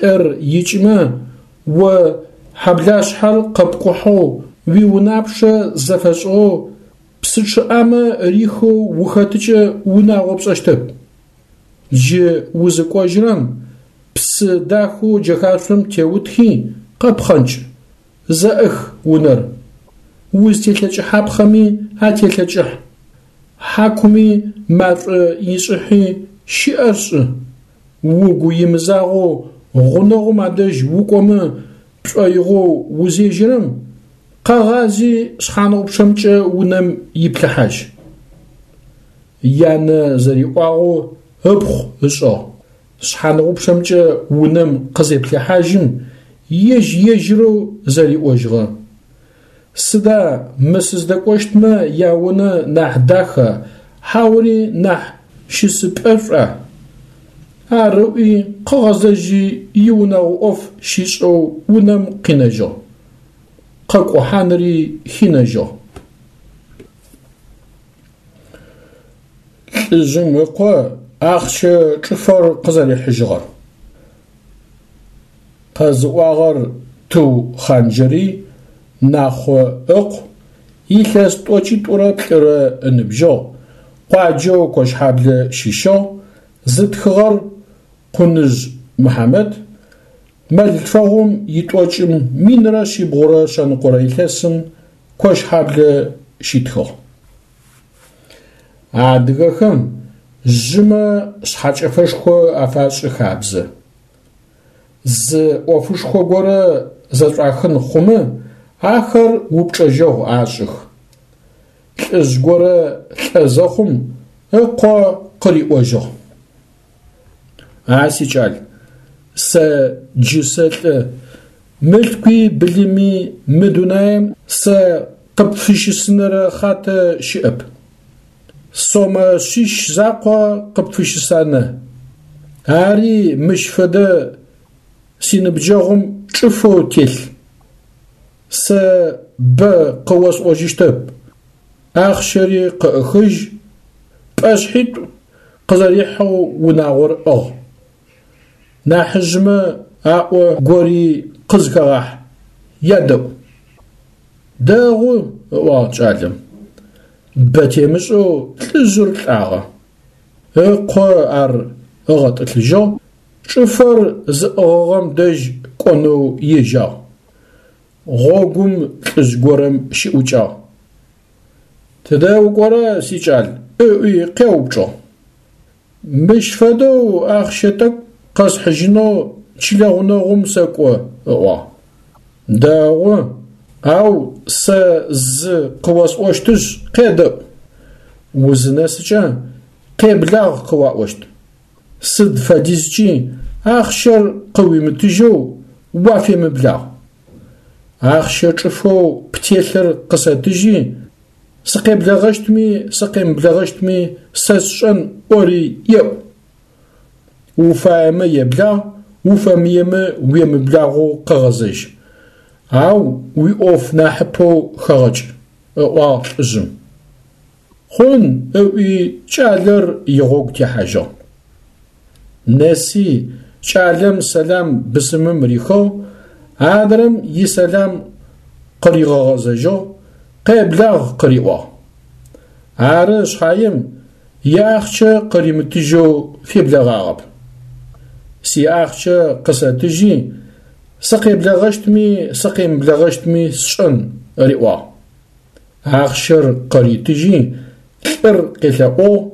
Лӏыр икӏымэ, о хьэблашъхьэр къэпкӏухьэу, уиунапчъэ зэфэшӏыгъэу, псы чъыӏамэ рихэу ухэтыкӏэ унагъо пшӏэщтэп. Джы узыкӏожьырэм псы дахэу джэхашъом теутхи къэпхъэнкӏ, зэӏых унэр. Узтелъэкӏыхьапхъэми ателъэкӏыхь, хьакуми машӏо ишӏыхьи щыӏэр шӏы. Угу имызагъэу гъунэгъум адэжь укӏомэ пшӏоигъоу узежьэрэм, къэгъази шъхьаныгъупчъэмкӏэ унэм иплъыхьажь. Янэ зэриӏуагъэу ыпхъу ышӏыгъ. Шъхьаныгъупчъэмкӏэ унэм къызеплъыхьажьым, ежь-ежьырэу зэриӏожьыгъэ: Сыда мы сыздэкӏощтмэ яунэ нахь даха, хьаури нахь щысыпӏэшӏуа? Ар ыӏуи къыгъэзэжьи иунэгъо ӏоф щишӏэу унэм къинэжьыгъ. Къэкӏухьаныри хинэжьыгъ. Лӏыжъым ыкъо ахъщэ чӏыфэр къызэрихьыжьыгъэр. Къэзыӏуагъэр Тыу Хъанджэрый Нахъо ыкъу, илъэс тӏокӏитӏурэ плӏырэ ыныбжьыгъ, къуаджэу Кощхьаблэ щыщыгъ, зытхыгъэр Къуныжъ Мыхьамэт, мэллъфэгъум итӏокӏым минрэ шъибгъурэ шъэныкъорэ илъэсым Кощхьаблэ щитхыгъ. Адыгэхэм жъымэ шъхьэкӏэфэшхо афашӏы хабзэ. Зы ӏофышхо горэ зэшӏуахын хъумэ, ахэр упчӏэжьэгъу ашӏых. Лӏыжъ горэ лӏэ зэхъум ыкъо къыриӏожьыгъ: А сикӏал, сэ джы сэлӏэ, мылъкуи былыми мы дунаим сэ къыпфыщысынэрэ хъатэ щыӏэп. Сомэ шъищ закъо къыпфыщысанэ. Ари мыщ фэдэ синыбджэгъум чӏыфэу телъ. Сэ бэ къыосӏожьыщтэп, ахъщэри къыӏыхыжь, пӏэшъхьитӏу къызэрихьэу унагъор ӏыгъ. Нахьыжъмэ аӏо гори къызхэгъахь, ядэӏу. Дэгъу, ыӏуагъ кӏалэм. Бэ темышӏэу лӏыжъыр лӏагъэ. Ыкъо ар ыгъэтӏылъыжьыгъ, чӏыфэр зыӏыгъыгъэм дэжь кӏонэу ежьагъ. Гъогум лӏыжъ горэм щыӏукӏагъ. Тыдэ укӏорэ, сикӏал? ыӏуи къеупчӏыгъ. Мыщ фэдэу ахъщэ тӏэкӏу къэсхьыжьынэу чылэ гъунэгъум сэкӏо, ыӏуагъ. Дэгъу, ау сэ зы къыосӏощтышъ, къедэӏу. Узынэсыкӏэ къеблагъ къыуаӏощт. Сыд фэдизкӏи ахъщэр къыуимытыжьэу уафемыблагъ. Ахъщэ чӏыфэу птелъыр къысэтыжьи, сыкъеблэгъэщтми сыкъемыблэгъэщтми сэ сшӏэн ӏори еӏу. Уфаемэ еблагъ, уфэмыемэ уемыблагъэу къэгъэзэжь. Ау уиӏоф нахьыпэу хэгъэкӏ, ыӏуагъ лӏыжъым. Хъун, ыӏуи кӏалэр игъогу техьажьыгъ. Нэси кӏалэм сэлам бысымым рихыгъ, адрэм исэлам къыригъэгъэзэжьыгъ, къеблагъ къыриӏуагъ. Ары шъхьаем иахъщэ къыримытыжьэу феблэгъагъэп. Сиахъщэ къысэтыжьи, сыкъеблэгъэщтми сыкъемыблэгъэщтми сшӏэн, риӏуагъ. Ахъщэр къыритыжьи, лӏыр къелъэӏугъ,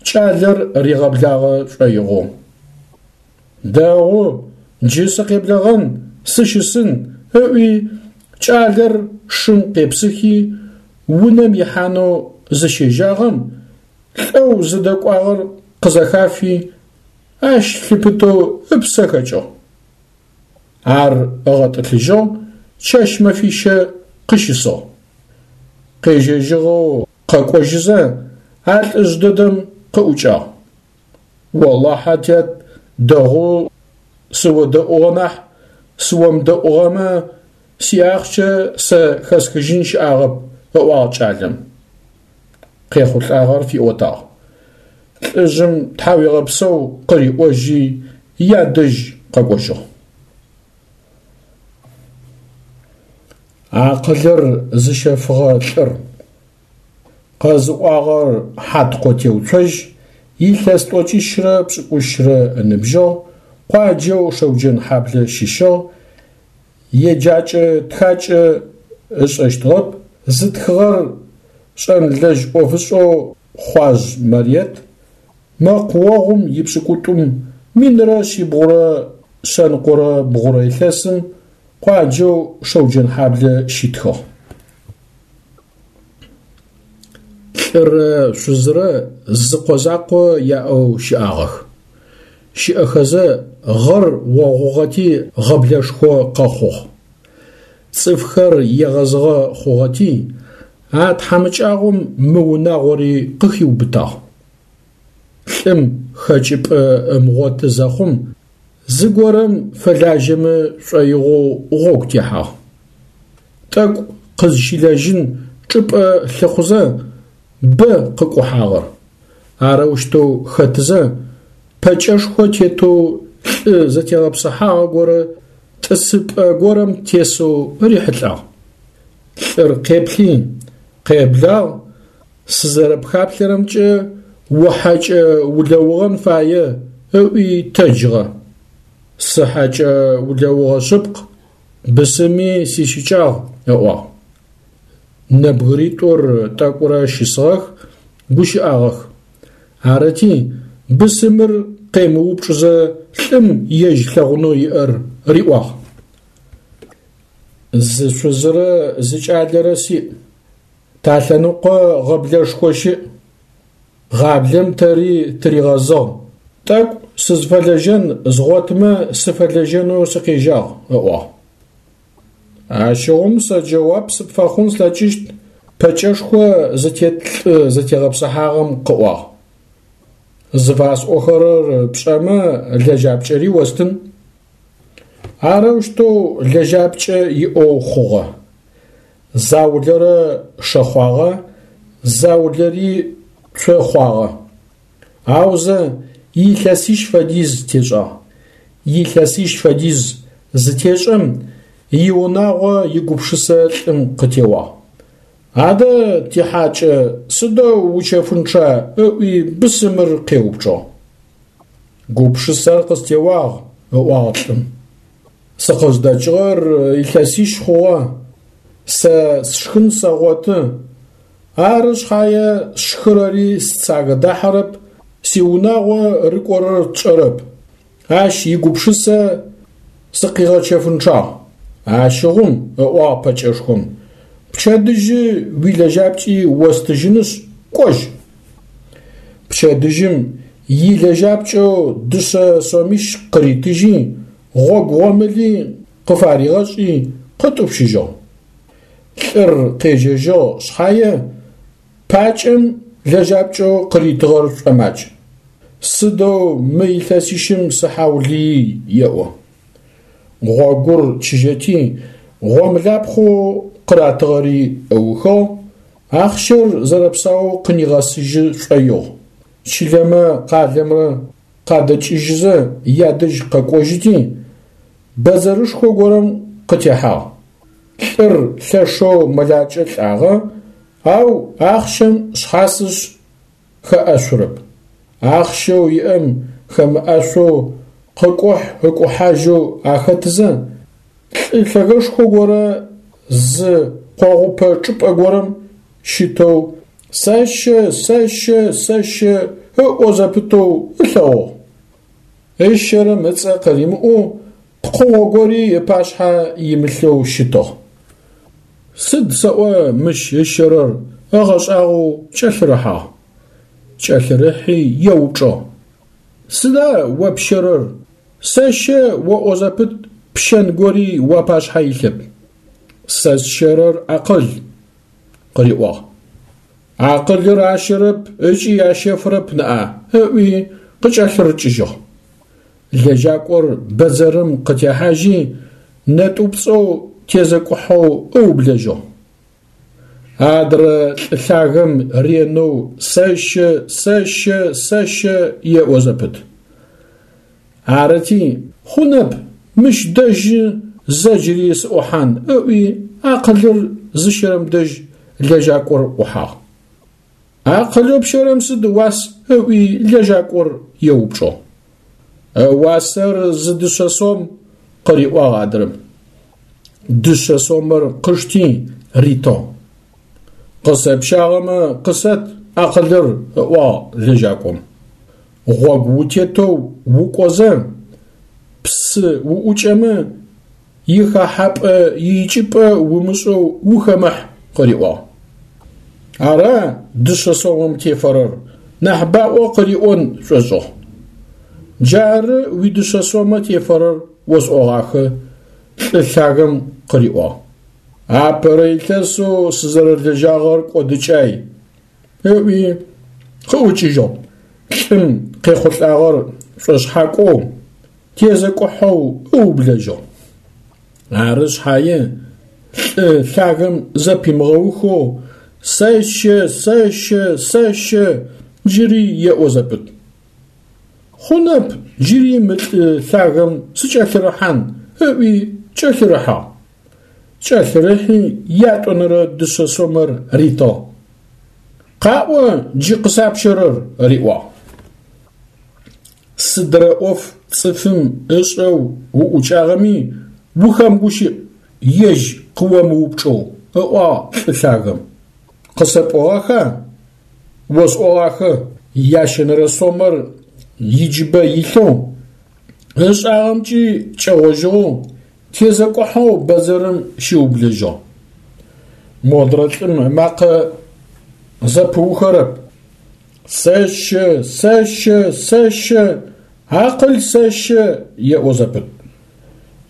кӏалэр ригъэблагъэ шӏоигъоу. Дэгъу, джы сыкъеблэгъэн, сыщысын, ыӏуи, кӏалэр шым къепсыхи, унэм ихьанэу зыщежьагъэм, лӏэу зыдэкӏуагъэр къызэхафи, ащ лъыпытэу ыпсэ хэкӏыгъ. Ар ыгъэтӏылъыжьыгъ, чэщ-мэфищэ къыщысыгъ. Къежьэжьыгъэу къэкӏожьызэ, а лӏыжъ дэдэм къыӏукӏагъ. Олахьэ, тят, дэгъоу сыодэӏугъэ нахь, сыомыдэӏугъэмэ, сиахъщэ сэ хэсхыжьын щыӏагъэп, ыӏуагъ кӏалэм. Къехъулӏагъэр фиӏотагъ. Лӏыжъым тхьауегъэпсэу къыриӏожьи, ядэжь къэкӏожьыгъ. Акъылыр зыщэфыгъэ лӏыр. Къэзыӏуагъэр Хьаткъо Теуцожь, илъэс тӏокӏищрэ пшӏыкӏущрэ ыныбжьыгъ, къуаджэу Шэуджэнхьаблэ щыщыгъ, еджакӏэ-тхакӏэ ышӏэщтыгъэп, зытхыгъэр шӏэнлэжь ӏофышӏэу Хъуажъ Мариет, мэкъуогъум ипшӏыкӏутӏум минрэ шъибгъурэ шъэныкъорэ бгъурэ илъэсым къуаджэу Шэуджэнхьаблэ щитхыгъ. Лӏырэ шъузырэ зы къо закъо яӏэу щыӏагъэх. Щыӏэхэзэ гъэр огъугъэти гъэблэшхо къэхъугъ. Цӏыфхэр егъэзыгъэ хъугъэти, а тхьамыкӏагъом мы унагъори къыхиубытагъ. Лӏым хэкӏыпӏэ ымыгъоты зэхъум, зыгорэм фэлажьэмэ шӏоигъоу гъогу техьагъ. Тӏэкӏу къызщилэжьын чӏыпӏэ лъыхъузэ бэ къыкӏухьагъэр, Арэущтэу хэтызэ, пэкӏэшхо тетэу лӏы зэтегъэпсыхьагъэ горэ тӏысыпӏэ горэм тесэу рихьылӏагъ. Лӏыр къеплъи, къеблагъ, сызэрэпхаплъэрэмкӏэ ухьэкӏэ улэугъэн фае, ыӏуи тэджыгъэ. Сыхьэкӏэ улэугъэ шъыпкъ, бысыми сищыкӏагъ, ыӏуагъ. Нэбгыритӏур тӏэкӏурэ щысыгъэх, гущыӏагъэх. Арыти, бысымыр къемыупчӏызэ лӏым ежь лъэгъунэу иӏэр риӏуагъ. Зы шъузырэ зы кӏалэрэ сиӏ. Талъэныкъо гъэблэшхо щыӏ. Гъаблэм тэри тыригъэзыгъ. Тӏэкӏу сызфэлэжьэн згъотымэ сыфэлэжьэнэу сыкъежьагъ, ыӏуагъ. Ащыгъум сэ джэуап сыпфэхъун слъэкӏыщт, пэкӏэшхо зытет лӏы зэтегъэпсыхьагъэм къыӏуагъ. Зыфасӏохэрэр пшӏэмэ лэжьапкӏэри остын. Арэущтэу лэжьапкӏэ иӏэу хъугъэ. Заулэрэ шэхъуагъэ, заулэри цохъуагъэ. Аузэ илъэсищ фэдиз тешӏагъ. Илъэсищ фэдиз зытешӏэм иунагъо игупшысэ лӏым къытеуагъ. Адэ тихьакӏэ сыдэу учэфынчъа ыӏуи бысымыр къеупчӏыгъ. Гупшысэр къыстеуагъ, ыӏуагъ лӏым. Сыкъыздэкӏыгъэр илъэсищ хъугъэ. Сэ сшхын сэгъоты. Ары шъхьае сшхырэри сцагэ дахьэрэп, сиунагъо рыкӏорэр тшӏэрэп. Ащ игупшысэ сыкъигъэчэфынчъагъ. Ащыгъум, ыӏуагъ пэкӏэшхом, пчэдыжьы уилэжьапкӏи остыжьынышъ, кӏожь. Пчэдыжьым илэжьапкӏэу дышъэ сомищ къыритыжьи, гъогу гъомыли къыфаригъэшӏи къытӏупщыжьыгъ. Лӏыр къежьэжьыгъ шъхьае пакӏэм лэжьапкӏэу къыритыгъэр шӏомакӏ. Сыдэу мы илъэсищым сыхьаулыий, еӏо. Гъогур чыжьэти, гъомлапхъэу къыратыгъэри ыухыгъ, ахъщэр зэрэпсаоу къынигъэсыжьы шӏоигъу. Чылэмэ къалэмрэ къадэкӏыжьызэ ядэжь къэкӏожьыти, бэдзэрышхо горэм къытехьагъ. Лӏыр лъэшэу мэлакӏэ лӏагъэ, ау ахъщэм шъхьасышъ хэӏэшъурэп. Ахъщэу иӏэм хэмыӏэшъоу къыкӏухь-ыкӏухьажьэу ахэтызэ, лӏы лъэгэшхо горэ зы къогъупэ чӏыпӏэ горэм щытэу «Сэщэ, сэщэ, сэщэ» ыӏо зэпытэу ылъэгъугъ. Ыщэрэм ыцӏэ къыримыӏоу пкъыгъо гори ыпашъхьэ имылъэу щытыгъ. Сыд сэӏо мыщ ыщэрэр ыгъэшӏагъоу кӏэлъырыхьагъ. Кӏэлъырыхьи еупчӏыгъ: Сыда о пщэрэр? Сэщэ оӏо зэпыт пщэн гори уапашъхьэ илъэп. Сэ сщэрэр акъыл, къыриӏуагъ. Акъылыр ащэрэп ыкӏи ащэфырэп ныӏа, ыӏуи къыкӏэлъырыкӏыжьыгъ. Лэжьакӏор бэдзэрым къытехьажьи, нэтӏупцӏэу тезэкӏухьэу ыублэжьыгъ. Адрэ лӏы лъагэм ренэу «Сэщэ, сэщэ, сэщэ» еӏо зэпыт. Арыти, хъунэп, мыщ дэжьы зэ джыри сыӏухьан, ыӏуи акъылыр зыщэрэм дэжь лэжьакӏор ӏухьагъ. Акъылэу пщэрэм сыд ыуас? Ыӏуи лэжьакӏор еупчӏыгъ. Ыуасэр зы дышъэ сом, къыриӏуагъ адрэм. Дышъэ сомэр къышти ритыгъ. Къысэпщагъэмэ къысэт акъылыр, ыӏуагъ лэжьакӏом. Гъогу утетэу укӏозэ, псы уӏукӏэмэ, ихэхьапӏэ иикӏыпӏэ умышӏэу ухэмыхь, къыриӏуагъ. Ара дышъэ сомэм тефэрэр, нахь баӏо къыриӏон шӏошӏыгъ. Джары уидышъэ сомэ тефэрэр осӏогъахэ, лӏы лъагэм къыриӏуагъ. Апэрэ илъэсэу сызэрэлэжьагъэр кӏодыкӏай, ыӏуи къыӏукӏыжьыгъ. Лӏым къехъулӏагъэр шӏошъхьакӏоу, тезэкӏухьэу ыублэжьыгъ. Ары шъхьае лӏы лъагэм зэпимыгъэухэу «Сэщэ, сэщэ, сэщэ» джыри еӏо зэпыт. Хъунэп джыри мы лӏы лъагэм сыкӏэлъырыхьан, ыӏуи кӏэлъырыхьагъ. Кӏэлъырыхьи ятӏонэрэ дышъэ сомэр ритыгъ. Къаӏо джы къысапщэрэр, риӏуагъ. Сыдрэ ӏоф цӏыфым ышӏэу уӏукӏагъэми ухэмыгущыӏ, ежь къыомыупчӏэу, ыӏуагъ лӏы лъагэм. Къысэпӏуагъэха? Осӏогъахэ, ящэнэрэ сомэр иджыбэ илъэу, ышӏагъэмкӏи кӏэгъожьыгъэу, тезэкӏухьэу бэдзэрым щиублэжьыгъ. Модрэ лӏым ымакъэ зэпыухэрэп. Сэщэ, сэщэ, сэщэ, акъыл сэщэ, еӏо зэпыт.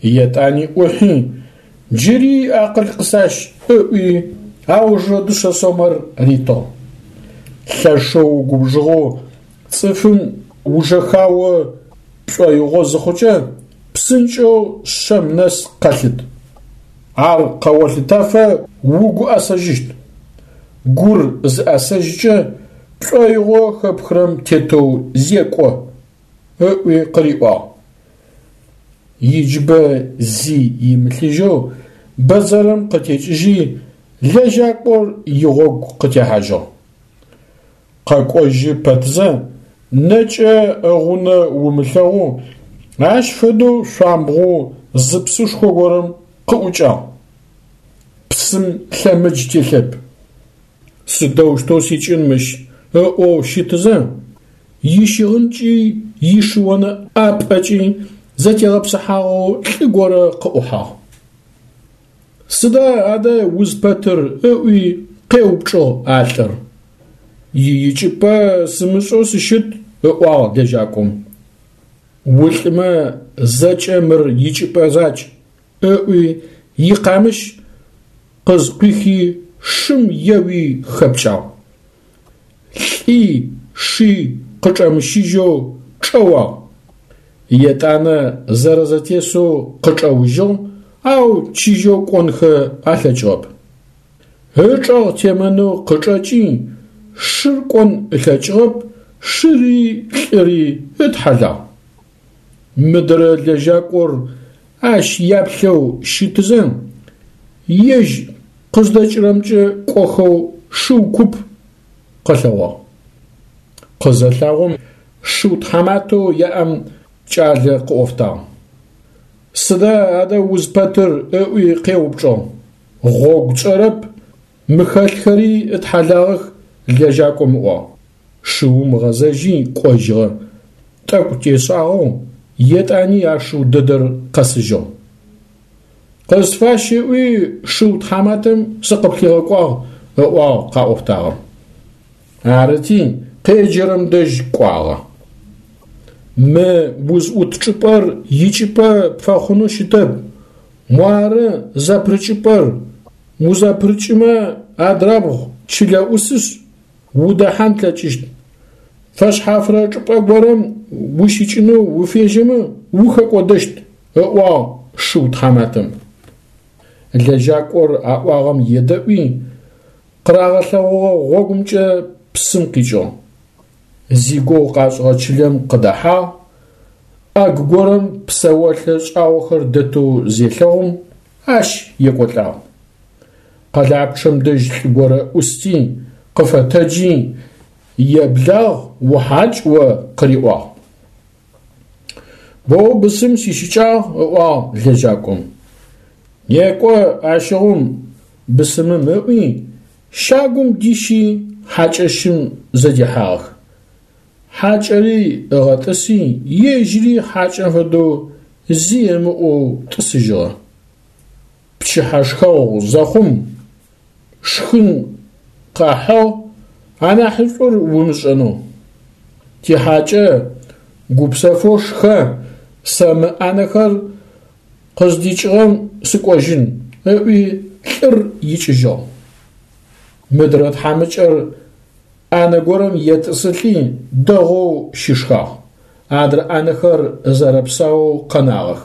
Етӏани ӏухьи, джыри акъыл къысащ, ыӏуи, аужрэ дышъэ сомэр ритыгъ. Лъэшэу угубжыгъэу цӏыфым ужэхао пшӏоигъо зыхъукӏэ, псынкӏэу шъэм нэс къэлъыт. Ар къэолъытэфэ угу ӏэсэжьыщт. Гур зыӏэсэжькӏэ пшӏоигъо хэпхырэм тетэу зекӏо, ыӏуи къыриӏуагъ. Иджыбэ зи имылъыжьэу бэдзэрым къытекӏыжьи, лэжьакӏор игъогу къытехьажьыгъ. Къэкӏожьы пэтзэ, нэкӏэ ыгъунэ умылъэгъоу, ащ фэдэу шъуамбгъоу зы псышхо горэм къыӏукӏагъ. Псым лъэмыдж телъэп. Сыдэущтэу сикӏын мыщ ыӏоу щытызэ, ищыгъынкӏи ишыонэ ӏапӏэкӏи зэтегъэпсыхьагъэу лӏы горэ къыӏухьагъ. Сыда адэ узпэтыр ыӏуи къеупчӏыгъ а лӏыр. Иикӏыпӏэ сымышӏэу сыщыт, ыӏуагъ лэжьакӏом. Улӏымэ зэкӏэ мыр икӏыпӏэ закӏ, ыӏуи икъамыщ къызкъуихи шым еуи хэпкӏагъ. Лӏи ши къычӏэмыщыжьэу чӏэуагъ. Етӏанэ зэрэзэтесэу къычӏэужьыгъ, ау чыжьэу кӏонхэ алъэкӏыгъэп. Ычӏэгъ темэнэу къычӏэкӏи, шыр кӏон ылъэкӏыгъэп, шыри лӏыри ытхьэлагъ. Мыдрэ лэжьакӏор ащ яплъэу щытызэ, ежь къыздэкӏырэмкӏэ кӏохэу шыу куп къэлъэгъуагъ. Къызэлъагъом шыу тхьаматэу яӏэм кӏалэ къыӏофтагъ. Сыда адэ узпэтыр ыӏуи къеупчӏыгъ. Гъогу тшӏэрэп, мы хэлъхэри ытхьэлагъэх, лэжьакӏом ыӏуагъ. Шыум ыгъэзэжьи кӏожьыгъэ. Тӏэкӏу тешӏагъэу етӏани а шыу дэдэр къэсыжьыгъ. Къысфащ ыӏуи шыу тхьаматэм сыкъыплъигъэкӏуагъ, ыӏуагъ къаӏофтагъэм. Арыти къеджэрэм дэжь кӏуагъэ. Мы узӏут чӏыпӏэр икӏыпӏэ пфэхъунэу щытэп, муары зэпрыкӏыпӏэр, узэпрыкӏымэ адрабгъу чылэ ӏусышъ, удэхьан плъэкӏыщт. Фэшъхьафрэ чӏыпӏэ горэм ущикӏынэу уфежьэмэ ухэкӏодэщт, ыӏуагъ шыу тхьаматэм. Лэжьакӏор аӏуагъэм едэӏуи, къырагъэлъэгъугъэ гъогумкӏэ псым къикӏыгъ. Зигугъу къашӏыгъэ чылэм къыдэхьагъ, ӏэгу горэм псэолъэ шӏагъохэр дэтэу зелъэгъум, ащ екӏолӏагъ. Къэлапчъэм дэжь лӏы горэ ӏусти, къыфэтэджи, еблагъ ухьакӏ о къыриӏуагъ. Боу бысым сищыкӏагъ, ыӏуагъ лэжьакӏом. Некӏо ащыгъум бысымым ыӏуи, щагум дищи хьакӏэщым зэдихьагъэх. Хьакӏэри ыгъэтӏыси, ежьыри хьакӏэм фэдэу зи ымыӏоу тӏысыжьыгъэ. Пчыхьэ шхэгъу зэхъум, шхын къахьыгъ, анахьышӏур умышӏэнэу. Тихьакӏэ гупсэфэу шхэ, сэ мы ӏанэхэр къыздикӏыгъэм сыкӏожьын, ыӏуи лӏыр икӏыжьыгъ. Мыдрэ тхьамыкӏэр ӏанэ горэм етӏысылӏи дэгъоу щышхагъ, адрэ ӏанэхэр зэрэпсаоу къэнагъэх.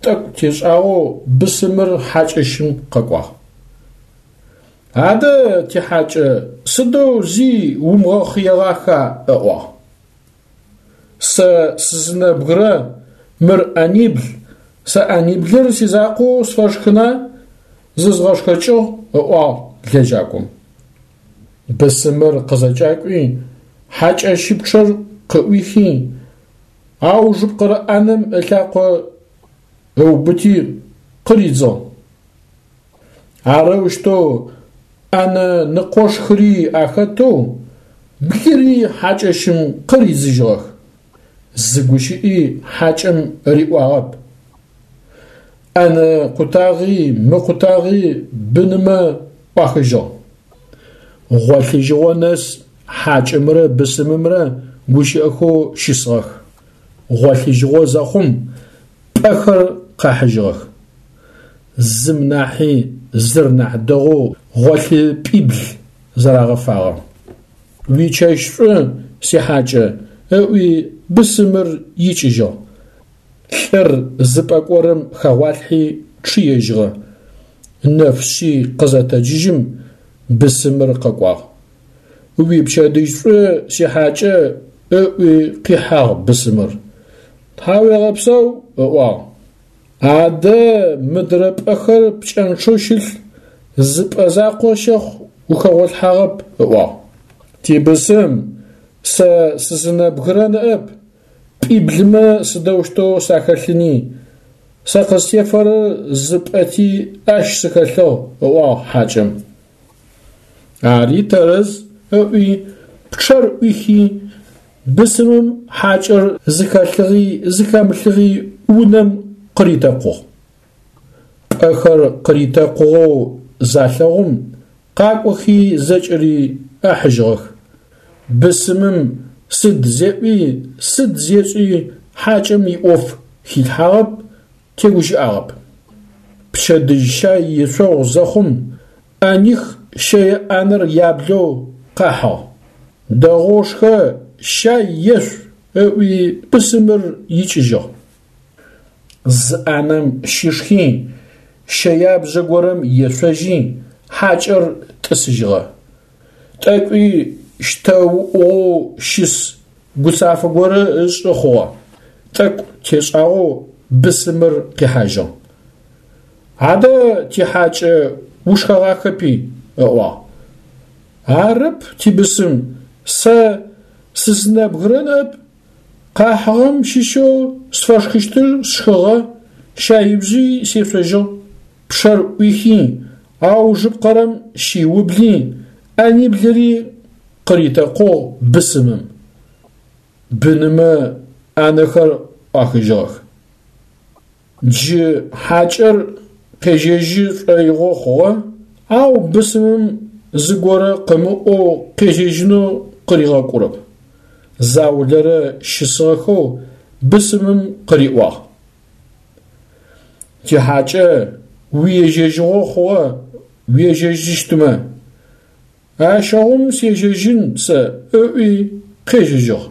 Тӏэкӏу тешӏагъэу бысымыр хьакӏэщым къэкӏуагъ. Адэ, тихьакӏэ, сыдэу зи умыгъэхъыегъаха? – ыӏуагъ. Сэ сызынэбгырэ, мыр ӏэнибл, сэ ӏэниблыр сизакъоу сфэшхына, зызгъэшхэкӏыгъ, – ыӏуагъ лэжьакӏом. Бысымыр къызэкӏакӏуи, хьакӏэщыпчъэр къыӏуихи, аужыпкъэрэ ӏанэм ылъакъо ыубыти къыридзыгъ. Арэущтэу ӏэнэ ныкъошхыри ахэтэу блыри хьакӏэщым къыридзыжьыгъэх. Зы гущыӏи хьакӏэм риӏуагъэп. ӏэнэ къутагъи мыкъутагъи бынымэ ӏуахыжьыгъ. Гъолъыжьыгъо нэс хьакӏэмрэ бысымымрэ гущыӏэхэу щысыгъэх. Гъолъыжьыгъо зэхъум пӏэхэр къахьыжьыгъэх. Зым нахьи зыр нахь дэгъоу гъолъыпӏибл зэрагъэфагъэ. Уичэщ шӏу, сихьакӏэ, ыӏуи бысымыр икӏыжьыгъ. Лӏыр зы пӏэ горэм хэгъуалъхьи чъыежьыгъэ. Нэф шъи къызэтэджыжьым бысымыр къэкӏуагъ. Уипчэдыжь шӏу, сихьакӏэ, ыӏуи къихьагъ бысымыр. Тхьауегъэпсэу, ыӏуагъ. Адэ мыдрэ пӏэхэр пкӏэнчъэу щылъ, зы пӏэ закъо щэхъу ухэгъолъхьагъэп, ыӏуагъ. Тибысым, сэ сызынэбгырэ ныӏэп, пӏиблымэ сыдэущтэу сахэлъыни, сэ къыстефэрэр зы пӏэти ащ сыхэлъыгъ, ыӏуагъ хьакӏэм. Ари тэрэз, ыӏуи пчъэр ӏуихи, бысымым хьакӏэр зыхэлъыгъи зыхэмылъыгъи унэм къыритэкъугъ. Пӏэхэр къыритэкъугъэу залъэгъум, къакӏохи зэкӏэри ахьыжьыгъэх. Бысымым сыд зеӏуи, сыд зешӏи хьакӏэм иӏоф хилъхьагъэп, тегущыӏагъэп. Пчэдыжь щай ешъогъу зэхъум, ӏэних щэе ӏанэр яблэу къахьыгъ. Дэгъоу шхэ, щай ешъу, ыӏуи бысымыр икӏыжьыгъ. Зы ӏанэм щышхи, щэябжъэ горэм ешъожьи, хьакӏэр тӏысыжьыгъэ. Тӏэкӏуи щтэуӏугъэу щыс гуцафэ горэ ышӏы хъугъэ. Тӏэкӏу тешӏагъэу бысымыр къихьажьыгъ. Адэ, тихьакӏэ, ушхэгъахэпи, ыӏуагъ. Арэп, тибысым, сэ сызынэбгырэ ныӏэп, къахьыгъэм щыщэу сфэшхыщтыр сшхыгъэ, щаибжъи сешъожьыгъ. Пчъэр ӏуихи, аужыпкъэрэм щиубли, ӏэниблыри къыритэкъугъ бысымым. Бынымэ ӏанэхэр ӏуахыжьыгъэх. Джы хьакӏэр къежьэжьы шӏоигъо хъугъэ, ау бысымым зыгорэ къымыӏоу къежьэжьынэу къыригъэкӏурэп. Заулэрэ щысыгъэхэу бысымым къыриӏуагъ: Тихьакӏэ, уиежьэжьыгъо хъугъэ, уежьэжьыщтмэ. Ащыгъум сежьэжьын сэ, ыӏуи къежьэжьыгъ.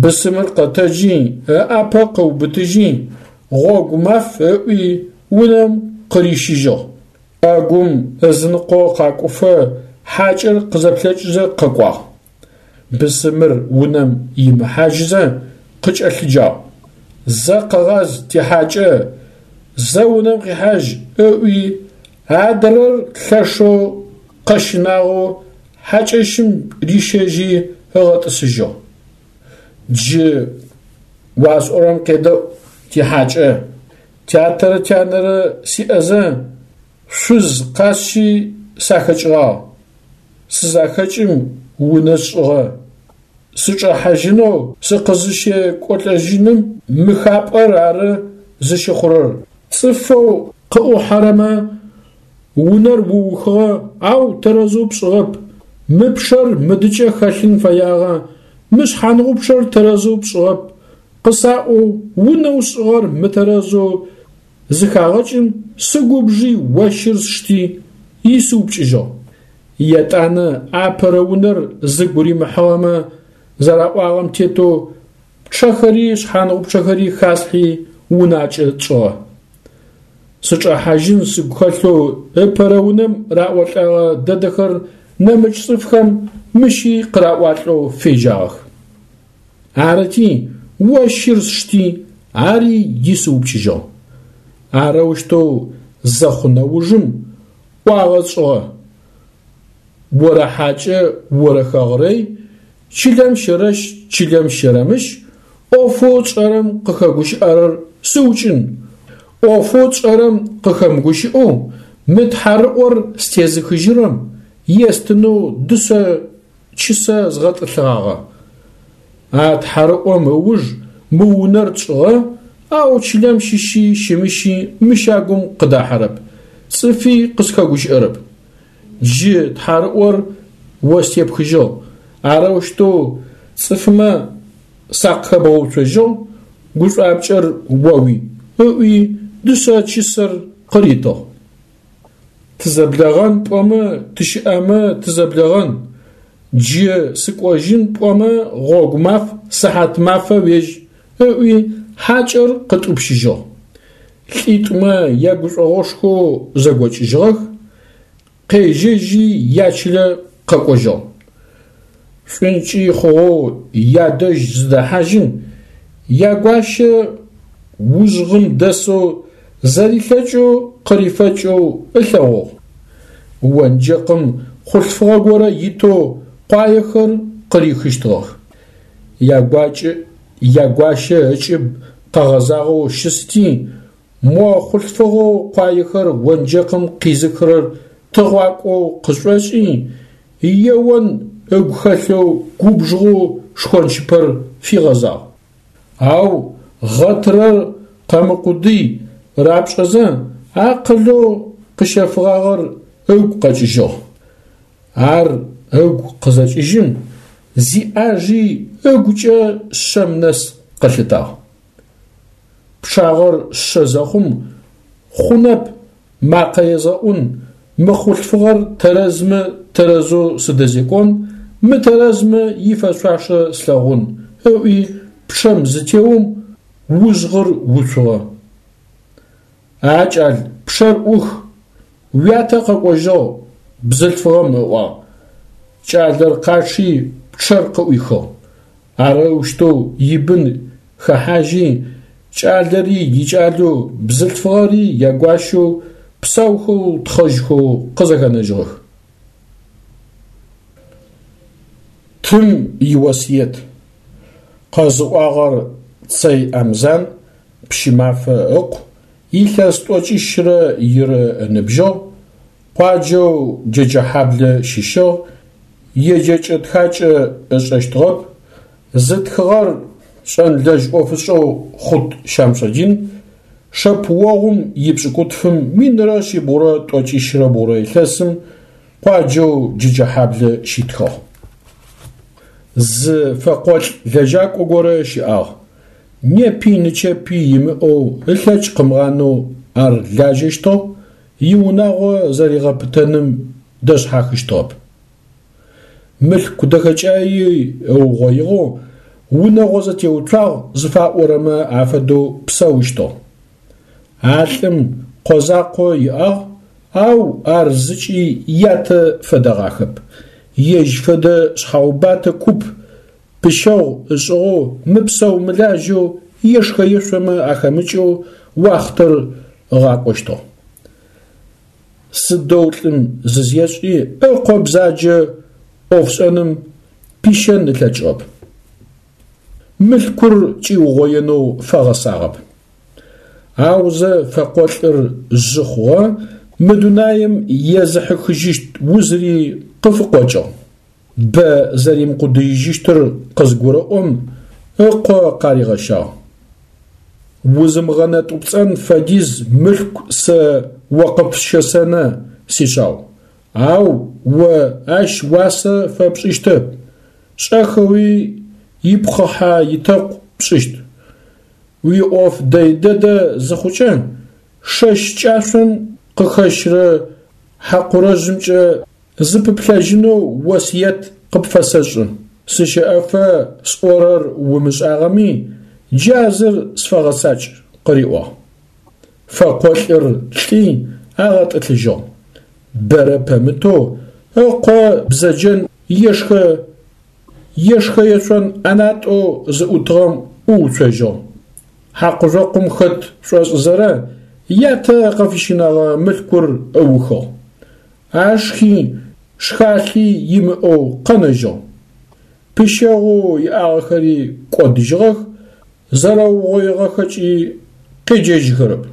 Бысымыр къэтэджи, ыӏапэ къыубытыжьи, гъогу маф ыӏуи унэм къырищыжьыгъ. Ӏэгум ызыныкъо къакӏуфэ хьакӏэр къызэплъэкӏызэ къэкӏуагъ. Бысымыр унэм имыхьажьызэ къыкӏэлъыджагъ: Зэ къэгъаз, тихьакӏэ, зэ унэм къихьажь, ыӏуи адрэр лъэшэу къэщынагъэу хьакӏэщым рищэжьи ыгъэтӏысыжьыгъ. Джы уасӏорэм къедэӏу, тихьакӏэ, тятэрэ тянэрэ сиӏэзэ шъуз къасщи сахэкӏыгъагъ. Сызахэкӏым унэ сшӏыгъэ. Сычӏэхьажьынэу сыкъызыщекӏолӏэжьыным мы хапӏэр ары зыщыхъурэр. Цӏыфэу къыӏухьэрэмэ унэр уухыгъэ, ау тэрэзэу пшӏыгъэп, мы пчъэр мыдыкӏэ хэлъын фэягъэ, мы шъхьангъупчъэр тэрэзэу пшӏыгъэп, къысаӏоу унэу сшӏыгъэр мытэрэзэу зыхагъэкӏым сыгубжи ощыр сшти исыупкӏыжьыгъ. Етӏанэ апэрэ унэр зыгу римыхьыгъэмэ зэраӏуагъэм тетэу пчъэхэри шъхьангъупчъэхэри хаслъхьи унакӏэ тшӏыгъэ. Сычӏэхьажьын сыгу хэлъэу ыпэрэ унэм раӏолӏэгъэ дэдэхэр нэмыкӏ цӏыфхэм мыщи къыраӏуалӏэу фежьагъэх. Арыти, о щыр сшти, ари исыупкӏыжьыгъ. Арэущтэу зэхъу нэужым ӏуагъэ тшӏыгъэ: орэхьакӏэ, орэхэгърэй, чылэм щэрэщ, чылэм щэрэмыщ, ӏофэу тшӏэрэм къыхэгущыӏэрэр сыукӏын, ӏофэу тшӏэрэм къыхэмыгущыӏэу мы тхьарыӏор стезыхыжьырэм естынэу дышъэ чысэ згъэтӏылъыгъагъэ. А тхьарыӏом ыуж мы унэр тшӏыгъэ, ау чылэм щыщи щымыщи мы щагум къыдахьэрэп, цӏыфи къысхэгущыӏэрэп. Джы тхьарыӏор о степхыжьыгъ, арэущтэу цӏыфмэ сакъыхэбгъэуцожьыгъ, гушӏуапкӏэр оуи, ыӏуи дышъэ чысэр къыритыгъ. Тызэблэгъэн пӏомэ тыщыӏэмэ тызэблэгъэн, джы сыкӏожьын пӏомэ гъогу маф, сыхьат мафэ уежь, ыӏуи хьакӏэр къытӏупщыжьыгъ. Лӏитӏумэ ягушӏогъошхоу зэгокӏыжьыгъэх, къежьэжьи ячылэ къэкӏожьыгъ. Шӏункӏы хъугъэу ядэжь зыдэхьажьым, ягуащэ ужъгъым дэсэу зэрилъэкӏэу къырифэкӏэу ылъэгъугъ. Онджэкъым хъулъфыгъэ горэ итэу къуаехэр къырихыщтыгъэх. Ягуакӏэ ягуащэ ыкӏыб къэгъэзагъэу щысти, мо хъулъфыгъэу къуаехэр онджэкъым къизыхырэр тыгъуакӏоу къышӏошӏи, еон ыгу хэлъэу губжыгъэу шхончыпэр фигъэзагъ. Ау гъэтырэр къэмыкъудый рапшӏэзэ акъылэу къыщэфыгъагъэр ыгу къэкӏыжьыгъ. Ар ыгу къызэкӏыжьым, зиӏажи ыгукӏэ шъэм нэс къылъытагъ. Пчъагъэр шъэ зэхъум хъунэп макъэ езгъэӏун, мы хъулъфыгъэр тэрэзмэ тэрэзэу сыдэзекӏон, мытэрэзмэ ифэшъуашэ слъэгъун, ыӏуи пчъэм зытеом ужъгъыр уцугъэ. А кӏал, пчъэр ӏух, уятэ къэкӏожьыгъ, бзылъфыгъэм ыӏуагъ. Кӏалэр къачъи пчъэр къыӏуихыгъ. Арэущтэу ибын хэхьажьи, кӏалэри икӏалэу, бзылъфыгъэри ягуащэу, псаухэу тхъэжьхэу къызэхэнэжьыгъэх. Тым иосыет. Къэзыӏуагъэр Цэй Амзан, Пщымафэ ыкъу, илъэс тӏокӏищрэ ирэ ыныбжьыгъ, къуаджэу Джэджэхьаблэ щыщыгъ, еджэкӏэ-тхакӏэ ышӏэщтыгъэп, зытхыгъэр шӏэнлэжь ӏофышӏэу Хъут Щамсудин, шэпыогъум ипшӏыкӏутфым минрэ шъибгъурэ тӏокӏищрэ бгъурэ илъэсым къуаджэу Джэджэхьаблэ щитхыгъ. Зы фэкъолӏ лэжьакӏо горэ щыӏагъ. Непи нычэпи имыӏэу ылъэкӏ къымыгъанэу ар лажьэщтыгъ, иунагъо зэригъэпытэным дэшъхьахыщтыгъэп. Мылъку дэхэкӏаи ыугъоигъэу унэгъо зэтеуцуагъ зыфаӏорэмэ афэдэу псэущтыгъ. А лӏым къо закъо иӏагъ, ау ар зыкӏи ятэ фэдэгъахэп. Ежь фэдэ шъхьаубатэ куп пыщэгъу ышӏыгъэу мыпсэу-мылажьэу ешхэ-ешъомэ ахэмыкӏэу уахътэр ыгъакӏощтыгъ. Сыдэу лӏым зызешӏи ыкъо бзаджэ ӏофшӏэным пищэн ылъэкӏыгъэп. Мылъкур кӏиугъоенэу фэгъэсагъэп. Аузэ фэкъолӏыр жъы хъугъэ, мы дунаим езыхьыхыжьыщт узыри къыфыкъокӏыгъ. Бэ зэримыкъудыижьыщтыр къызгурэӏом ыкъо къаригъэщагъ. Узымыгъэнэтӏупцӏэн фэдиз мылъку сэ о къыпщэсэнэ, сишъау, ау о ащ уасэ фэпшӏыщтэп, шӏэхэуи ипхъыхьэ-итэкъу пшӏыщт. Уиӏоф дэй дэдэ зыхъукӏэ, шэщ кӏашъом къыхэщрэ хьакъурэжъымкӏэ зыпыплъэжьынэу осыет къыпфэсэшӏы. Сыщэӏэфэ сӏорэр умышӏагъэми, джа зыр сфэгъэцакӏ, къыриӏуагъ. Фэкъолӏыр лӏи агъэтӏылъыжьыгъ. Бэрэ пэмытэу ыкъо бзэджэн ешхэ ешхэ-ешъон ӏэнатӏэу зыӏутыгъэм ӏууцожьыгъ. Хьакъужъокъум хэт шӏошӏызэрэ ятэ къыфыщинэгъэ мылъкур ыухыгъ. Ашхи шхалъи имыӏэу къэнэжьыгъ. Пыщэгъоу иӏагъэхэри кӏодыжьыгъэх, зэрэугъоигъэхэкӏи къеджэжьыхэрэп.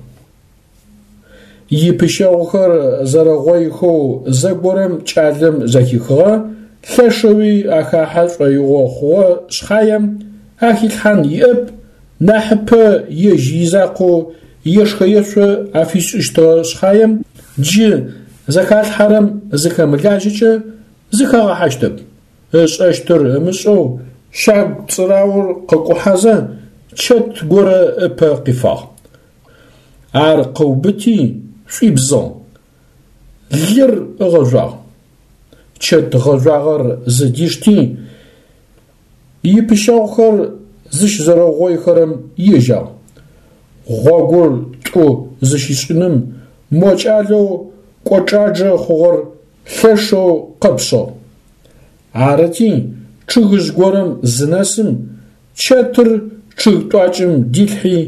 Ипыщэгъухэр зэрэгъойхэу зэгорэм кӏалэм зэхихыгъэ, лъэшэуи ахахьэ шӏоигъо хъугъэ шъхьаем ахилъхьан иӏэп, нахьыпэ ежь изакъоу ешхэ-ешъо афишӏыщтыгъэ шъхьаем, джы зэхалъхьэрэм зыхэмылажьэкӏэ зыхагъэхьащтэп. Ышӏэщтыр ымышӏэу щагу цӏыраур къыкӏухьэзэ чэт горэ ыпэ къифагъ. Ар къыубыти шӏуибзыгъ, лыр ыгъэжъуагъ. Чэт гъэжъуагъэр зыдишти, ипыщэгъухэр зыщызэрэугъоихэрэм ежьагъ. Гъогур тӏу зыщишӏыным мо кӏалэу кӏочӏаджэ хъугъэр лъэшэу къэпшъыгъ. Арыти, чъыгыжъ горэм зынэсым, чэтыр чъыг тӏуакӏэм дилъхьи,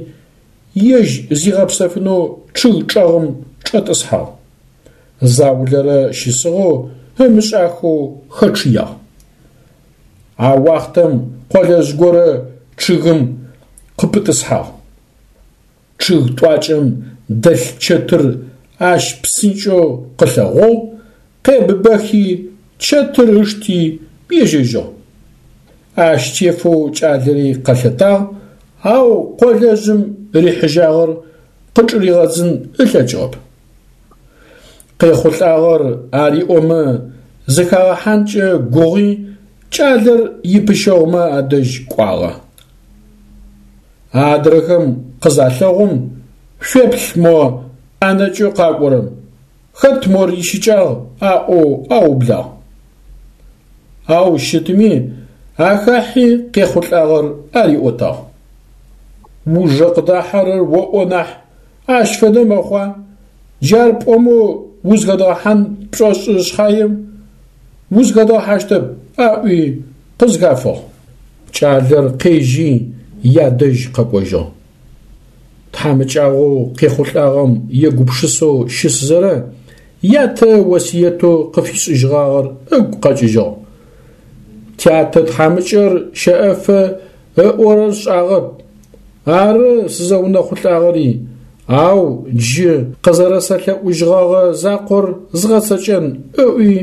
ежь зигъэпсэфынэу чъыг чӏэгъым чӏэтӏысхьагъ. Заулэрэ щысыгъэу ымышӏахэу хэчъыягъ. А уахътэм къолэжъ горэ чъыгым къыпытӏысхьагъ. Чъыг тӏуакӏэм дэлъ чэтыр ащ псынкӏэу къылъэгъугъ, къебыбэхи чэтыр ышти ежьэжьыгъ. Ащ тефэу кӏалэри къэлъэтагъ, ау къолэжъым рихьыжьагъэр къычӏыригъэдзын ылъэкӏыгъэп. Къехъулӏагъэр ариӏомэ зыхагъэхьанкӏэ гугъи кӏалэр ипыщэгъумэ адэжь кӏуагъэ. Адрэхэм къызалъэгъум, шъуеплъ мо ӏэнэкӏэу къакӏорэм, хэт мор ищыкӏагъ аӏоу аублагъ. Ау щытми ахахьи къехъулӏагъэр ариӏотагъ. Ужэ къыдахьэрэр оӏо нахь, ащ фэдэ мэхъуа? Джар пӏомэ узхэдгъэхьан пшӏошӏы шъхьаем, узхэдгъэхьащтэп, аӏуи къызхафыгъ. Кӏалэр къежьи ядэжь къэкӏожьыгъ. Тхьамыкӏагъоу къехъулӏагъэм егупшысэу щысызэрэ ятэ осыетэу къыфишӏыжьыгъагъэр ыгу къэкӏыжьыгъ. Тятэ тхьамыкӏэр щэӏэфэ ыӏорэр сшӏагъэп, ары сызэунэхъулӏагъэри, ау джы къызэрэсэлъэӏужьыгъэгъэ закъор згъэцэкӏэн ыӏуи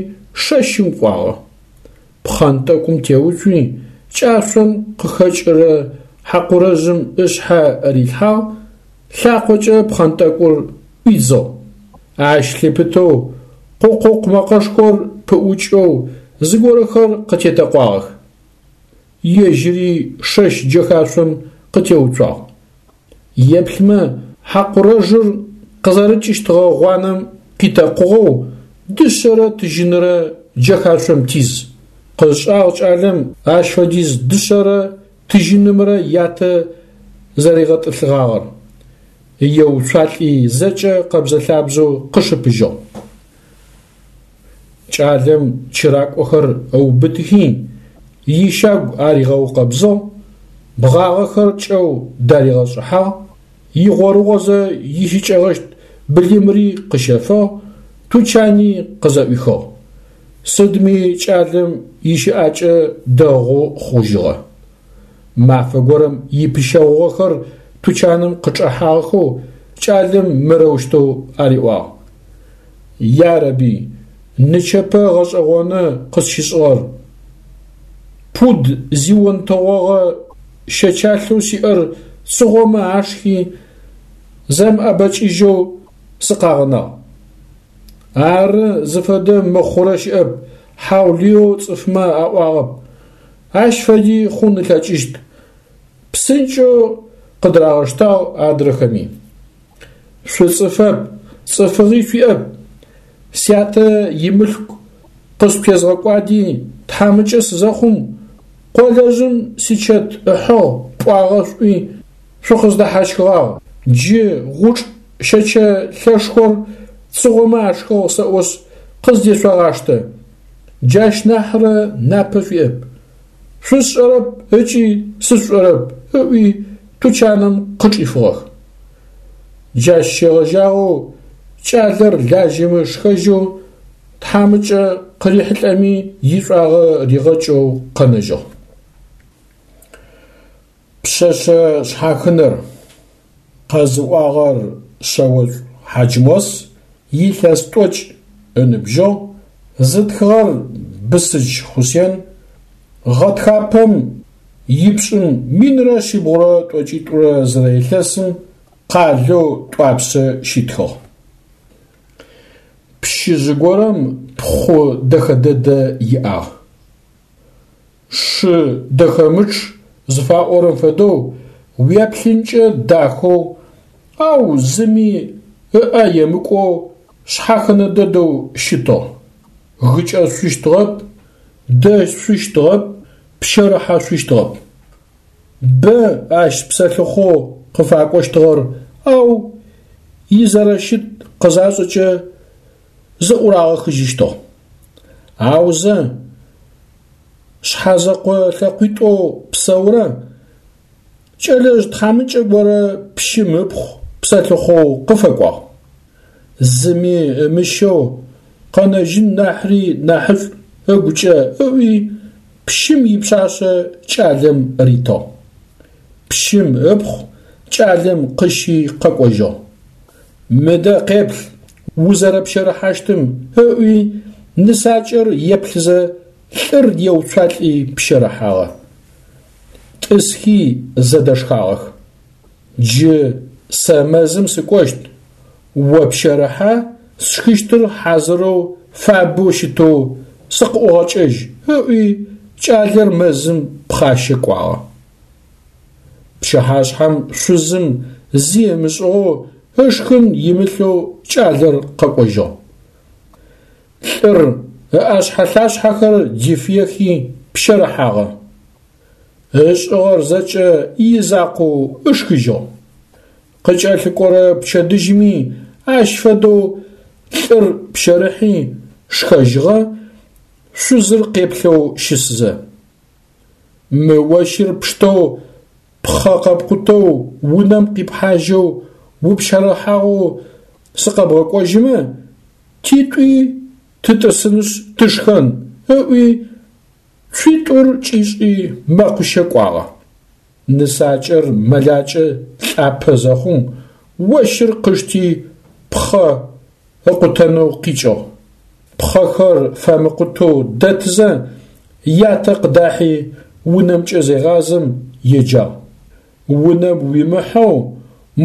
шэщым кӏуагъэ. Пхъэнтӏэкӏум теуцуи, кӏашъом къыхэкӏырэ хьакъурэжъым ышъхьэ рилъхьагъ, лъакъокӏэ пхъэнтӏэкӏур ӏуидзыгъ. Ащ лъыпытэу къукъукъу мэкъэшхор пыӏукӏэу зыгорэхэр къытетэкъуагъэх. Ежьыри шэщ джэхашъом къытеуцуагъ. Еплъмэ, хьакъурэжъыр къызэрыкӏыщтыгъэ гъуанэм къитэкъугъэу дышъэрэ тыжьынрэ джэхашъом тиз. Къышӏагъ кӏалэм ащ фэдиз дышъэрэ тыжьынымрэ ятэ зэригъэтӏылъыгъагъэр. Еуцуалӏи зэкӏэ къэбзэ-лъабзэу къышыпыжьыгъ. Кӏалэм чыракӏохэр ыубытыхи, ищагу аригъэукъэбзыгъ, бгъагъэхэр кӏэу даригъэшӏыхьагъ, игъорыгъозэ ищыкӏэгъэщт былымри къыщэфыгъ, тучани къызэӏуихыгъ. Сыдми кӏалэм ищыӏакӏэ дэгъу хъужьыгъэ. Мафэ горэм ипыщэгъугъэхэр тучаным къычӏэхьагъэхэу кӏалэм мырэущтэу ариӏуагъ: Ярэби, нычэпэ гъэшӏэгъоны къысщышӏыгъэр. Пуд зионтэгъогъэ щэчалъэу сиӏэр цыгъомэ ашхи, зэмыӏэбэкӏыжьэу сыкъагъэнагъ. Ары зыфэдэ мыхъурэ щыӏэп, хьаулыеу цӏыфмэ аӏуагъэп. Ащ фэди хъун ылъэкӏыщт. Псынкӏэу къыдырагъэштагъ адрэхэми. Шъуцӏыфэп, цӏыфыгъи шъуиӏэп. Сятэ имылъку къысшъутезгъэкӏуади тхьамыкӏэ сызэхъум, къолэжъым сичэт ыхьыгъ пӏуагъэ шъуӏуи шъукъыздэхьащхыгъагъ. Джы гъучӏ Щэчэ лъэшхор цыгъомэ ашхыгъ сэӏошъ къыздешъогъаштэ, джащ нахьрэ напэ шъуиӏэп. Шъусшӏэрэп ыкӏи сышъушӏэрэп, ыӏуи тучаным къычӏифыгъэх. Джащ щегъэжьагъэу кӏалэр лажьэмэ шхэжьэу, тхьамыкӏэ къырихьылӏэми ишӏуагъэ ригъэкӏэу къэнэжьыгъ. Пшъэшъэ шъхьахынэр къэзыӏуагъэр Шъэошӏу Хьаджмос, илъэс тӏокӏ ыныбжьыгъ, зытхыгъэр Бысыдж Хъусен, гъэтхапэм ипшӏым минрэ шъибгъурэ тӏокӏитӏурэ зырэ илъэсым къалэу Тӏуапсэ щитхыгъ. Пщыжъ горэм пхъу дэхэ дэдэ иӏагъ. Шы дэхэмычъ зыфаӏорэм фэдэу уеплъынкӏэ дахэу, ау зыми ыӏэ емыкӏоу шъхьахынэ дэдэу щытыгъ. Гыкӏэшъущтыгъэп, дэшъущтыгъэп, пщэрыхьэшъущтыгъэп. Бэ ащ псэлъыхъоу къыфакӏощтыгъэр, ау изэрэщыт къызашӏэкӏэ зыӏурагъэхыжьыщтыгъ. Аузэ шъхьэзэкъо лъэкъуитӏоу псэурэ кӏэлэжъ тхьамыкӏэ горэ пщым ыпхъу псэлъыхъоу къыфэкӏуагъ. Зыми ымыщэу къэнэжьын нахьри нахьышӏу ыгукӏэ ыӏуи пщым ипшъашъэ кӏалэм ритыгъ. Пщым ыпхъу кӏалэм къыщи къэкӏожьыгъ. Мыдэ къеплъ узэрэпщэрыхьащтым, ыӏуи нысакӏэр еплъызэ лӏыр еуцуалӏи пщэрыхьагъэ. Тӏысхи зэдэшхагъэх. Джы сэ мэзым сыкӏощт, о пщэрыхьэ, сшхыщтыр хьазырэу фабэу щытэу сыкъыӏугъэкӏэжь, ыӏуи кӏалэр мэзым пхъащэ кӏуагъэ. Пчыхьашъхьэм шъузым зи ымышӏыгъэу ышхын имылъэу кӏалэр къэкӏожьыгъ. Лӏыр ыӏэшъхьэ-лъашъхьэхэр дифыехи пщэрыхьагъэ. Ышӏыгъэр зэкӏэ изакъоу ышхыжьыгъ. Къыкӏэлъыкӏорэ пчэдыжьыми ащ фэдэу лӏыр пщэрыхьи шхэжьыгъэ, шъузыр къеплъэу щысызэ. Мы ощыр пштэу пхъэ къэпкъутэу унэм къипхьажьэу упщэрыхьагъэу сыкъэбгъэкӏожьымэ, титӏуи тытӏысынышъ тышхэн, ыӏуи цуитӏур кӏишӏи мэкъущэ кӏуагъэ. Нысакӏэр мэлакӏэ лӏапэ зэхъум, ощыр къышти пхъэ ыкъутэнэу къикӏыгъ. Пхъэхэр фэмыкъутэу дэтызэ, ятэ къыдахьи унэмкӏэ зегъазэм еджагъ. Унэм уимыхьэу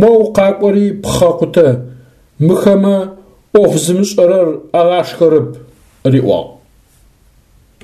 моу къакӏори пхъэ къутэ, мыхэмэ ӏоф зымышӏэрэр агъашхэрэп, риӏуагъ.